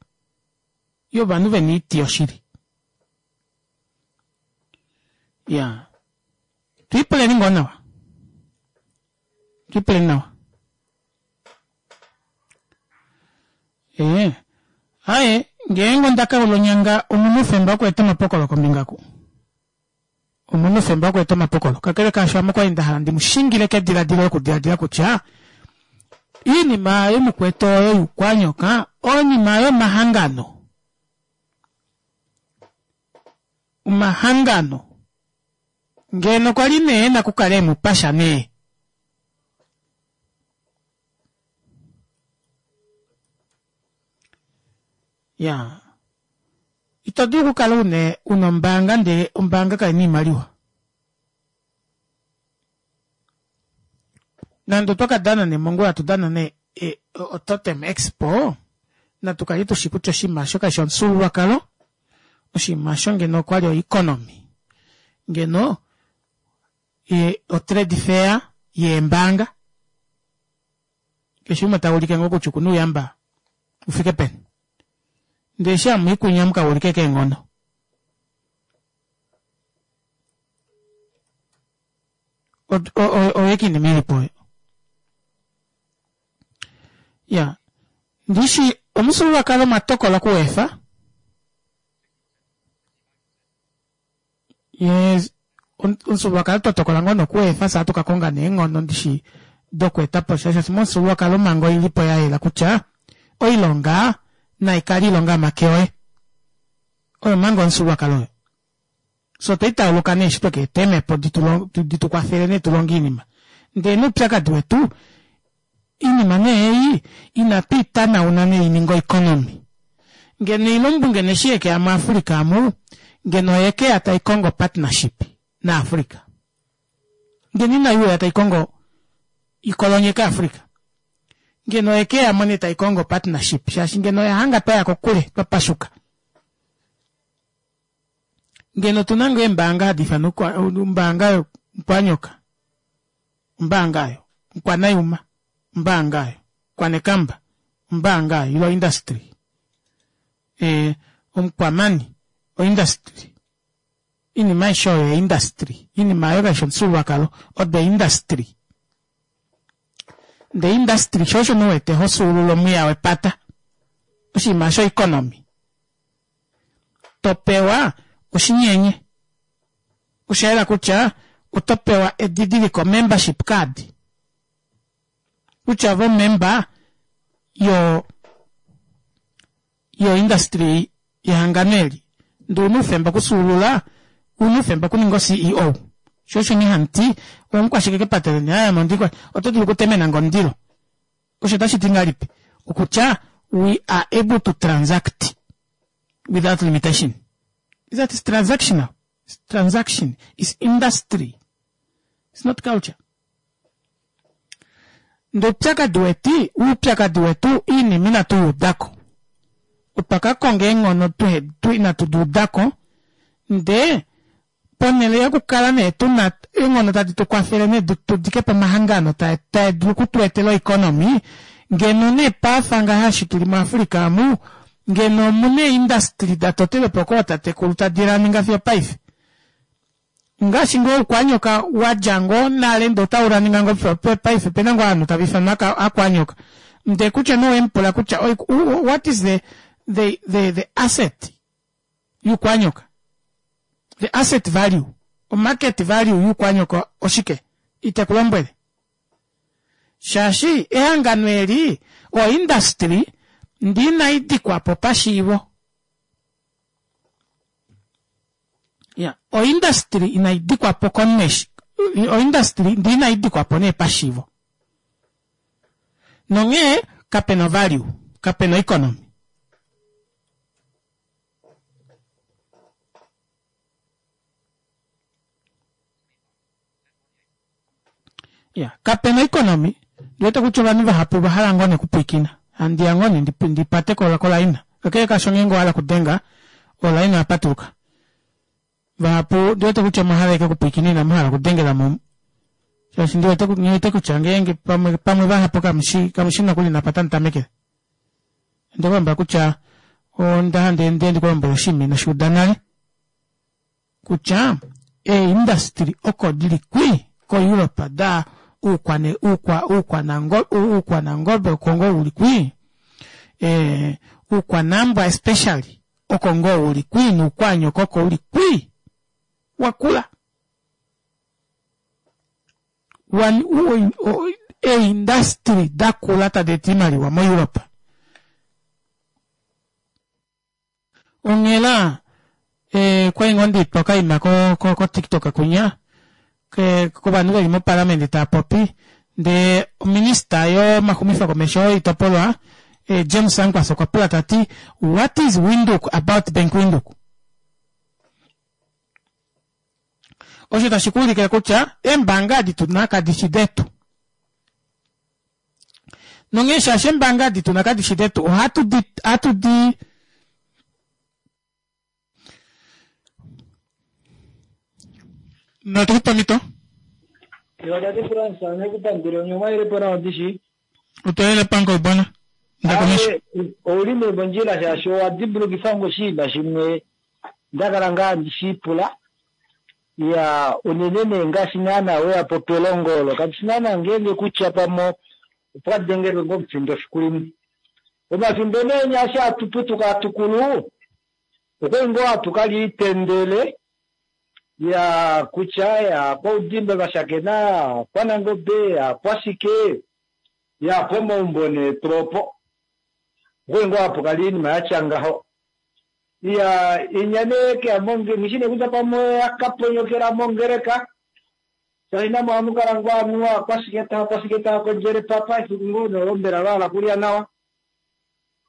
Yovanhu vena oiti yoshili. Ya. Twiipuleni ngoo nawa. Twiipuleni nawa. Ee. Aye, ngeenge onda kaula onyanga omuna oufemba wokweeta omapokolo kombinga ku. Omuna oufemba wokweeta omapokolo. Kakele kaasho ame okwali nda hala ndi mu shingile kediladilo lokudiladila kutya iinima yomukwetu oyo yuukwanyoka oinima yomahangano. Omahangano ngeno kwali nee ena okukala emu pasha nee. Ya. Ito dulu okukala une una ombaanga ndele ombaanga kai na iimaliwa. Nande otwa ka dana nee mongula tu dana nee e, oTotem Expo, natu kale tushi kutya oshinima osho kashi omufyuululwakalo, oshinima osho ngeno okwali oeconomy. Ngeno e, otrade fair yeembaanga. Keshe umwe ta ulike ngoo kutya okuna ouyamba u fike peni. Ndele eshi hamu i kwinya mu ka ulike keenghono. Oyo ike iinima ilipo oyo. Ya. Ndishi omufyuululwakalo mwa tokola okuweefa. Yes, omufyuululwakalo twa tokola ngoo nokuweefa fye ohatu ka konga nee eenghono ndishi dokweeta po sha shaashi momufyuululwakalo omhango oilipo ya yela kutya oilonga nai kale iilonga yomake oye. Oyo omhango yomufyuululwakalo oyo. Fye otwa itauluka nee eshi tweka eta eemhepo di tu kwafele nee tu longe oinima. Ndele nee oupyakadi wetu Iinima nee ei inatu i tanauna nee i ninge oeconomy. Ngeno oilumbu ngeno eshi yeke ya muAfrica amu, ngeno oyeke ya tai kongo partnership naAfrica. Ngeno inai uya tai kongo i kolonyeke Africa. Ngeno oyeke ya mo nee tai kongo partnership shaashi ngeno oya hanga twa ya kokule, twa pashuka. Ngeno otu na ngoo eembaanga hadi ifanwa ombaanga yokwanyoka. Ombaanga oyo, Okwanayuma, ombaanga oyo, Okwanekamba, ombaanga oyo, ile oindustry. E, omukwamani, oindustry. Iinima aishe oyo oindustry. Iinima oyo kaishi omufyuululwakalo, odo oindustry. Ndee industry sho osho nee uwete ho fyuulula omwiya wepata. Oshinima osho oeconomy. To pewa oshinyenye. Osha yela kutya oto pewa edidiliko, membership card, kutya ove omemba yo yo industry yehangano eli. Ndee ouna oufemba okufyuulula, ouna oufemba okuninga oCEO. Sho osho nee handi ti, omukwashike kepata leni, aaye ame ondi oto dulu okutemena nge omundilo. Osho otashi ti ngahelipi? Okutya we are able to transact without limitation. Is that is transactional? It's transaction. It's industry. It's not culture. Ndee oupyakadi weti, oupyakadi wetu iinima inatu yi udako. Otwa ka konga eenghono tuhe tu inatu di udako ndee Ponhele yokukala nee tu na eenghono tadi tu kwafele nee tu dike po omahangano tae tae dulu oku tu etela oeconomy, ngeno nee paafa ngaha eshi tuli muAfrica amu, ngeno omu na eeindustry da totelwe po kootatekulu tadi raninga fiyo opaife. Ngaashi ngoo oukwanyoka wa dja ngoo nale ndee otau raninga ngoo fiyo opaife, opena ngoo ovanhu tava ifanwa akwanyoka. Ndee kutya nee owemu pula kutya what is the the the the asset yuukwanyoka the asset value omarket value yuukwanyoka oshike ite ku lombwele shaashi ehangano eli oindustry ndi inai dikwa po pashiivo ya oindustry inai dikwa po komunhu oindustry ndi inai dikwa po nee pashiivo nonghee kapena value kapena economy. Ya, kape na economy. Ndiwete kutya ovanhu vahapu ova hala ngoo nekupwiikina. Handi ya ngoo nee ndipate kolaina. Kakele kaasho ngeenge owa hala okudenga, olaina oya patuluka. Vahapu ndiwete kutya omwa hala ashike okupwiikina inamu hala okudengela mo. Shaashi ndiwete nghiwete kutya ngeenge pamwe pamwe vahapu kamushi kamushi nokuli napa tamu tamekele. Onde ku lombwela kutya onda hala ndi ndi ku lombwele oshinima ino shi uda nale. Kutya eeindustry oko dili kwii koEurope da uukwane uukwa uukwanango uukwanangobe oko ngoo uli kwii ee uukwanambwa especially oko ngoo uli kwii nuukwaanyoko oko uli kwii wakula wan eeindustry dakula tadi eta iimaliwa moEurope. Onghela eh, kwali ngoo ndiitwa okaima ko, ko, ko TikTok kunya ke, kovanhu veli moparlament tava popi ndee ominista yomaxumifo komesho oitopolwa eh, James Sankwasa okwa pula tati what is Windhoek about Bank Windhoek? Osho tashi ku ulikile kutya eembanga adi tuna kadi shi detu. Nonghee shaashi eembanga adi tuna kadi shi detu ohatu di ohatu di Natu ku pe omhito. Ewa tate Frans, ame ku pandula onye omwa yele po nawa ndishi. Otwa yele pango bwana. Nda komesho. Ame ouli nee mondjila shaashi owa dimbulukifa nge oshinima shimwe nda kala ngaa handi shi pula. Ya unene nee ngaashi naana weya po pelongo olo kandi shi naana ngeenge kutya pamwe opwa dengelwe ngoo omufindo efiku limwe. Omafimbo nee enya eshi hatu putuka hatu kulu okwali ngoo hatu ka lya oitendele ya kutya ya kwaudimba va shakena, kwanangobe, ya kwashike, ya pomaumbo nee tropo. Okwali ngoo hapu kala oinima yatya ngaho. Iya, inya nee keya monge, nghi shi nee kutya pamwe oya ka ponyokela mongeleka, shaashi namo ohamu kala ngoo anuwa kwashike taa kwashike taa kondjele papa, efiku ngoo nee olo mbela va hala kulya nawa.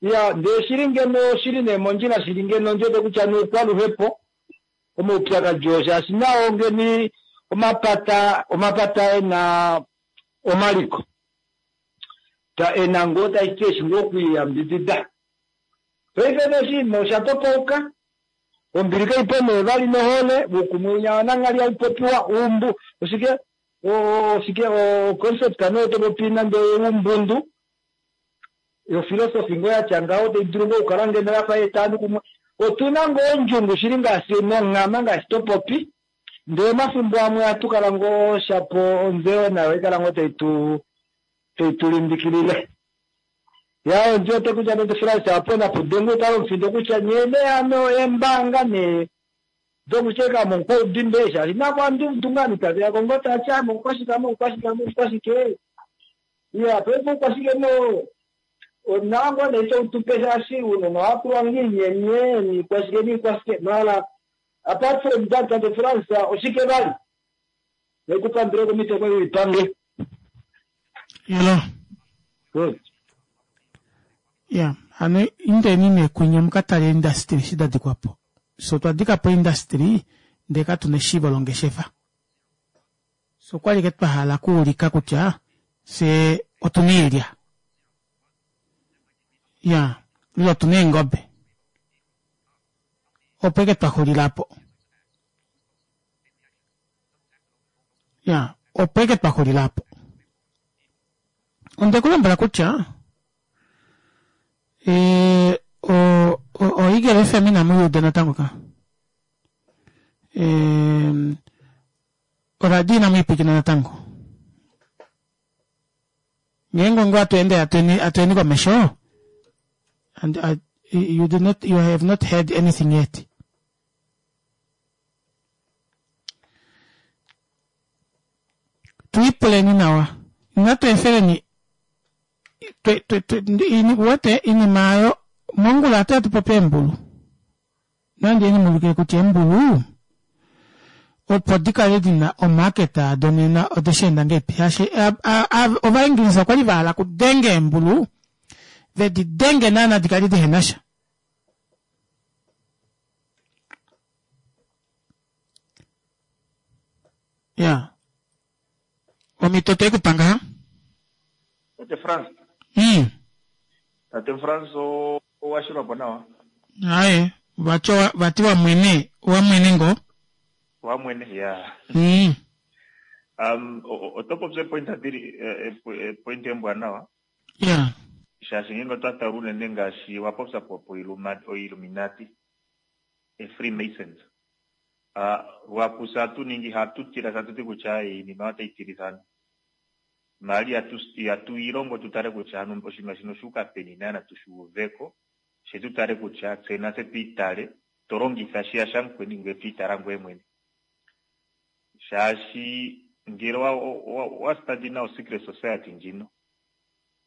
Iya, ndee shili ngeno oshili nee mondjila shili ngeno ndi wete kutya nuukwaluhepo omaupyakadi oo shaashi nao ngeni omapata omapata e na omaliko ta e na ngoo tashi ti eshi ngoo okwiiyambidida. Paife nee oshinima osha topauka, ombili kai po nee vali nohole, uukumwe winya wananghali hau popiwa, uumbu oshike oshike o concept nee oto popi nande oumbundu, ofilosofi ngoo yatya ngaho tai dulu ngoo okukala ngeno yafa ya eta ovanhu kumwe. Otu na ngoo ondjungu shili ngaashi nonghama ngaashi to popi, ndee omafimbo amwe ohatu kala ngoo shapo ontseyo nayo ohai kala ngoo tai tu tai tu limbikilile. Ya ondi wete kutya tate Frans apo napu dengwe utale omufindo kutya nyee nee hano eembanga nee dokusheka momukwaudimbe shaashi nako andi udu ngaa ovanhu tave ya ko ngoo tava ti ame omukwashike ame omukwashike ame omukwashike. Iya paife oukwashike no onawa ngoo nee toutupe shaashi ounona ohava pulwa ngoo oinyenye niikwashike niikwashike maala apart from that tate Frans oshike vali nekupandule komito koye uipange. Hello. Good. Ya, hano indeni nee kwinya mu ka tale eindastry eshi da dikwa po. Fye otwa dika po eindastry ndee katu na eshiivo longeshefa. Fye okwa li ashike twa hala okuulika kutya fye otu na oilya. Ya, ile otu na eengobe. Opo ashike twa xulila po. Ya, opo ashike twa xulila po. Onde ku lombwela kutya e, o, o, o Eagle FM inamu i uda natango ka. E, oradio inamu i pwilikina natango. Ngeenge ongo atu ende atueni atueni komesho and I, you do not you have not heard anything yet. Tu ipuleni nawa. Inatu efeleni twe twe twe ini wete inima ayo mongula atu atu popi eembulu. Nandi eni mulukile kutya eembulu opo di kale di na omarket ado nena ode shi enda ngeipi shaashi Ovaingilisa okwa li va hala okudenga eembulu ve di denge naana di kale dihe na sha. Ya. Omhito otwe i ku pa ngaha. Tate Frans. Tate Frans owa shilwa po nawa. Aye, vati owa- vati wa mwene, wa mwene ngoo. Wa mwene, ya. Um, o- o- oto popi epoint dili epoint embwanawa. Ya. Shaashi ngeenge otwa tala unene ngaashi wa popya po po Illuminati, e Freemasons. Ah, luhapu fye ohatu ningi hatu tila fye hatu ti kutya ai iinima otayi tilitha aantu. Maala ihatu ihatu ilongo tu tale kutya ano oshinima shino osha uka peni naana tu shi uveko, she tu tale kutya tse natse tu itale to longitha shiya shamukweni ngweye to itala ngweye mwene. Shaashi ngele wa wa wa study nawa osecret society ndjino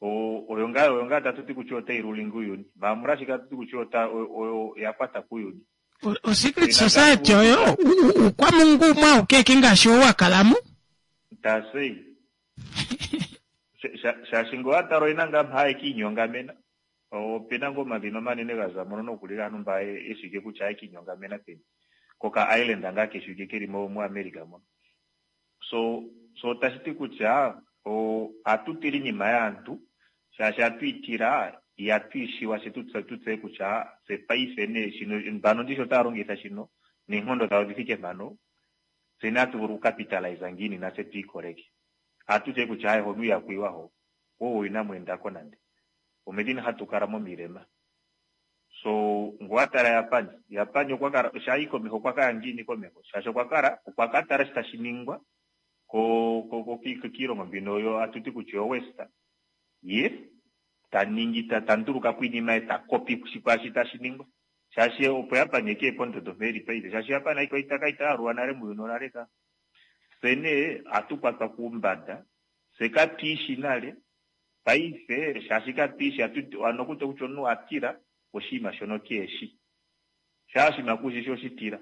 oyo ngaa oyo ngaa tatu ti kutya otayi ruling uuyuni. Maala molwashike tatu ti kutya ota oyo ya kwata kuuyuni? O secret society oyo uukwamungu umwe auke eke ngaashi ou wa kala mo. Tasei. Shaashi ngele owa tala oyena ngaa mpa haye kiinyongamena. Opena ngaa omadhina omanene ga za mono nokuli gaantu mba ye shiwike kutya haye kiinyongamena peni. Koka island ngaa ke shiwike keli muAmerica mono. So, so tashi ti kutya ohatu tila iinima yaantu shaashi ohatu yi tila ihatu yi shiwa she tu tseye kutya tse paife nee shino mbano ndishi otaya longitha shino neenkondo dhawo odhi thike mpano tse nee hatu vulu okucapitalize ngiini natse tu ikoleke. Ohatu tye kutya aye hono ihaku yiwa ho, wo inamu enda ko nande. Omedhina hatu kala momilema. So nge owa tala Japan, Japan okwa kala sho ayi komeho okwa kaya ngiini komeho? Shaashi okwa kala okwa ka tala shi tashi ningwa ko ko ko kiilongo mbino yo atu ti kutya yo West, ye ta ningi ta ta nduluka po iinima ye ta kopi kwaashi tashi ningwa. Shaashi opo Japan e ke ye pondondo mpa eli paife, shaashi Japan ita ka ita yalulwa nale muuyuni onale ka. Fye nee ohatu kwatwa kuumbanda, fye katu ishi nale, Paife shaashi katu ishi ano kutya kutya omunhu a tila oshinima shono keeshi. Shaa oshinima kushi shi oshi tila.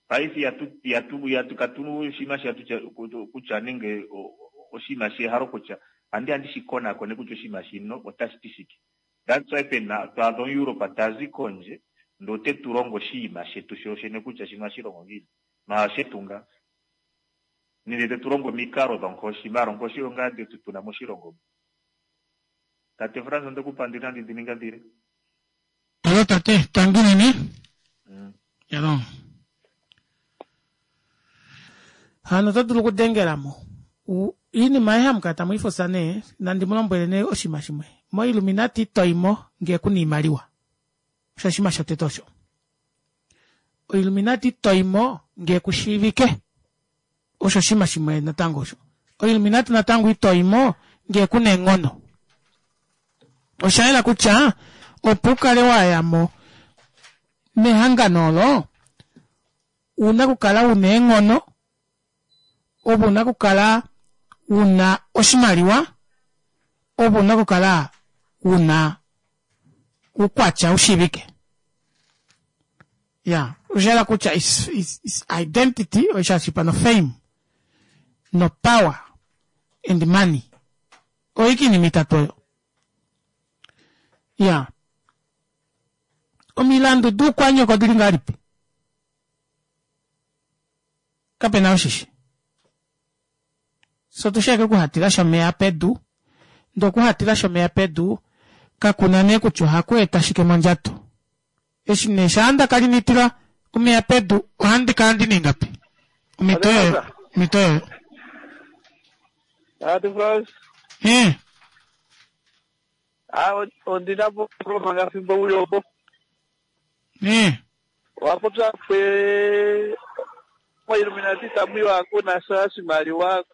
Paife ihatu ihatu ihatu katu oshinima shi hatu kutya nenge oshinima shehalo kutya andi andi shi konakone kutya oshinima shino otashi ti shike. That's why pena to adha omuEurope tazi kondje ndee ote tu longo oshinima shetu shooshene kutya shino ohashi longo ngiini. Maala oshetu ngaa. Nenge te tu longo omikalo dhonkoshi, maala onkoshi oyo ngaa nde tu na moshilongo mu. Tate Frans onde ku pandula inandi dhi ninga dhile. Alo tate, tangi unene. Alo. Hano oto dulu okudengela mo. Iinima ayihe hamu kala tamu yi fusa nee, nandi mu lombwele nee oshinima shimwe. MoIlluminati ito yi mo ngele ku na iimaliwa. Osho oshinima shotete osho. OIlluminati ito yi mo ngee ku shiivike. Osho oshinima shimwe natango osho. OIlluminati natango ito yi mo ngee ku na eenghono. Osha yela kutya opo u kale wa ya mo mehangano olo, ou na okukala u na eenghono, ove u na okukala u na oshimaliwa, ove u na okukala u na uukwatya wu shiivike. Ya, osha yela kutya is, is, is identity, osha shipa no fame, no power, and money. Oyo iinima itatu oyo. Ya. Omilandu duukwanyoko odili ngahelipi? Kape na oshishi. So tu sheke okuhatila shomeya pedu, ndee okuhatila shomeya pedu kakuna nee kutya ohaku eta shike mondjato. Eshi nee shaa nda kali nitila omeya pedu ohandi kala ndi na ingapi? Omhito oyoyo, omhito oyoyo. Tate Frans. Eh. Ah, ondi na po manga fimbo uli opo. Eh. Owa popya pwe moIlluminati tamu yiwa kuna sha oshimaliwa,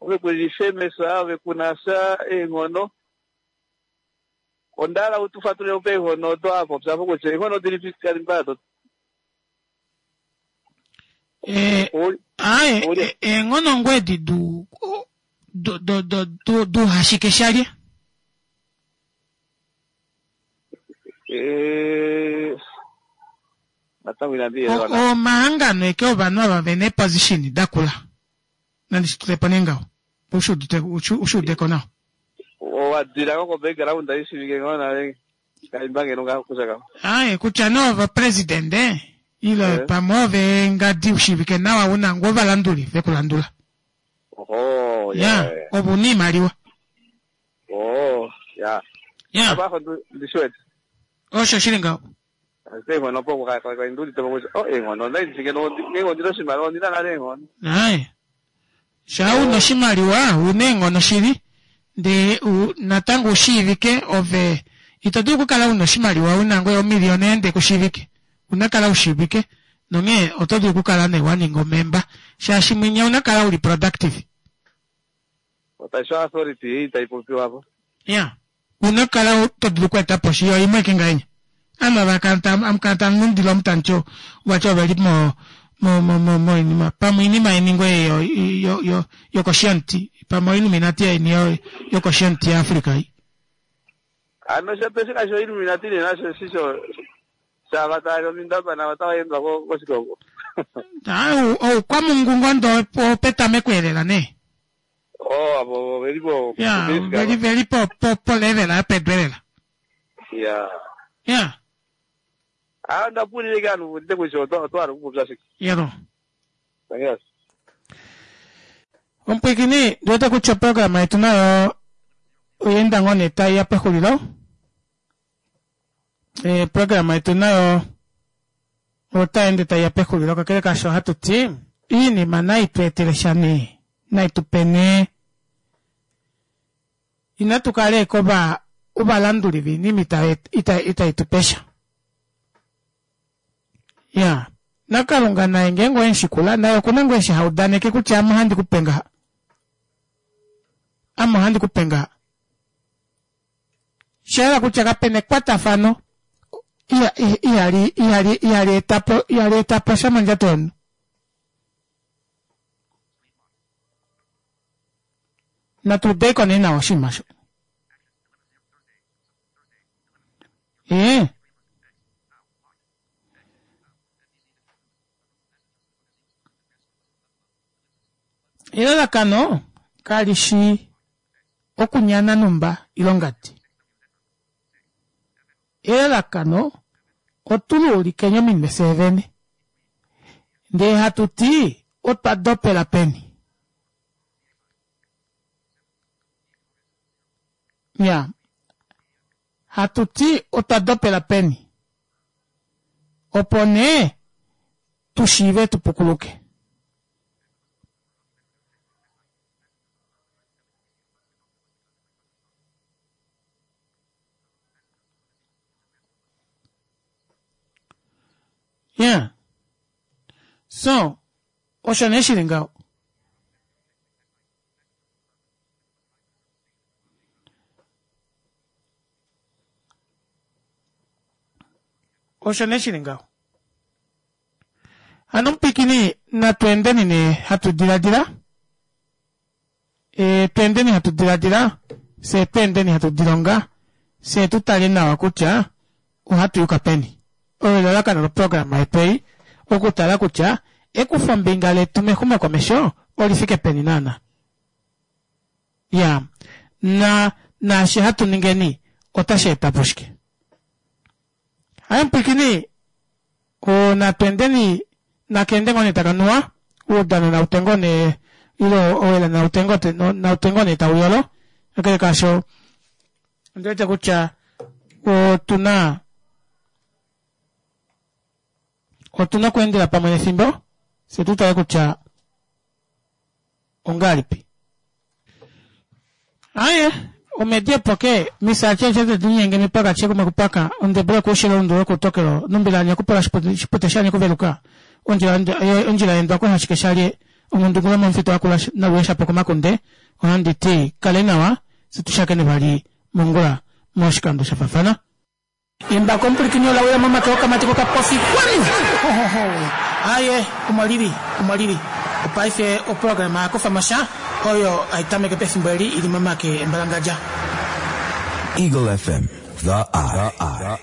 ove ku li famous, ove kuna sha eenghono. Onda hala u tu fatulile po eenghono odo wa popya po kutya eenghono dilipi kalimba do. Eh, aye, eenghono ngoo edi du do do do du hashike shalye. Eh, natango inandi yelwa na. Omahangano eke ovanhu ava ve na eeposition da kula. Nandi shi tule po nee ngaho. Opo u shi ude ko nawa. Owa dila ko ko-background i shiivike ngoo nale. Kaimba ngeno ngaho kutya ngaho. Aye, kutya nee ove opresidende ile Eh. pamwe ove ngadi u shiivike nawa u na ngoo ovalanduli ve ku landula. Oho. Oh, Ya, yeah. ove una iimaliwa. Oh, ya. Ya. Apa afa ndi shi wete. Osho shili ngaho. Ashike eenghono opo kandi udite po kutya, oh, eenghono onda ndi ngeno ngenge ondina oshimaliwa ondina nale eenghono. Aye. Shaa una oshimaliwa, una eenghono shili, ndee u- natango ushiivike ove ito dulu okukala una oshimaliwa una ngoye omiliyona ndee kushiivike. Una kala ushiivike nonghee oto dulu okukala nee waninga omemba shaashi mwinya una kala uli productive. Otashi authority ei tai popiwa po. Ya. Una kala to dulu okweeta po shi yo imwe eke ngahenya. Ame amukala tamulundile omutancho wacho oveli mo mo mo mo moinima pamwe oinima yeni ngoye yo yo yo yokoshianti pamwe oiluminati yeni yo yokoshianti yaAfrica ei. Ano shape shika sho Illuminati nena sho shi sho shava tava omindaba nava tava endwa ko koshikogo. Ah, oukwamungu ngondo opetameko elela nee. Oh, avo veli po. Ya, veli veli po po po level yopedu elela. Ya. Ya, Ah, ndapulile ke anhu ndite kutya otwa hala okupopya shike. yero. Yes. Omupwikini, ndiwete kutya oprograma yetu nayo oyeenda ngoo nee taiya pexulilo. E, programa yetu nayo otayi ende taiya pexulilo kakele kaasho ohatu ti iinima nayi tu etele sha nee nayi tu pe nee inatu kala eke ova ovalanduli viinima ita ita tu pe sha. Ya, naKalunga naye ngeenge owe mu naye okuna ngoo eshi haudaneke kutya ame ohandi ku pe ngaha. Ame ohandi ku pe ngaha. Shayela kutya kapena ekwatafano ihali ihali ihali etapo ihali etapo sha mondjato yomunhu. Natu udeko nee nawa oshinima osho. Ee. Elalakano kali shi okunyana numba ilongadi. Elalakano otuluulikeni ominwe fyee vene. Ndee hatu ti otwa dopela peni. Ya. Hatu ti otwa dopela peni. Opo nee tu shiive tu pukuluke. Yeah. So, osho nee shili ngaho. Osho nee shili ngaho. Hano mupikini natu endeni nee hatu diladila. E, tu endeni hatu diladila, fye tu endeni hatu dilonga, fye tu tale nawa kutya ohatu yuka peni. Oyo elalakano loprograma yetu ei, okutala kutya ekufombinga letu mexumokomesho olifike peni naana. Ya, na naashi hatu ningeni otashi eta po shike. Haye mupwikini, natu endeni nakende ngoo nee taka nuwa, uudano nau twe ngoo nee ile owela nau twe ngoo nee tau yolo, kakele kaasho ondi wete kutya otuna otuna okweendela pamwe nefimbo fye tu tale kutya ongahelipi. Aye, omedi epoke misache chete dinyenge mipaka chekume kupaka ondebule kushila undu kutokelo numbila kupola shipute shanye kuveluka ondjila ondjila yendwa ko hashike shalye omundu gula momufito akula naluesha po komakunde ohandi ti kale nawa situshakene vali mongula moshikando shafafana. Embako omupulikini olawila momake okamati kokapofi kwanu. Aye, omolili, omolili. Opaife oprograma yakufa oyo aitameke pefimbo eli ili momake embalangadja. Eagle FM, the eye. The eye.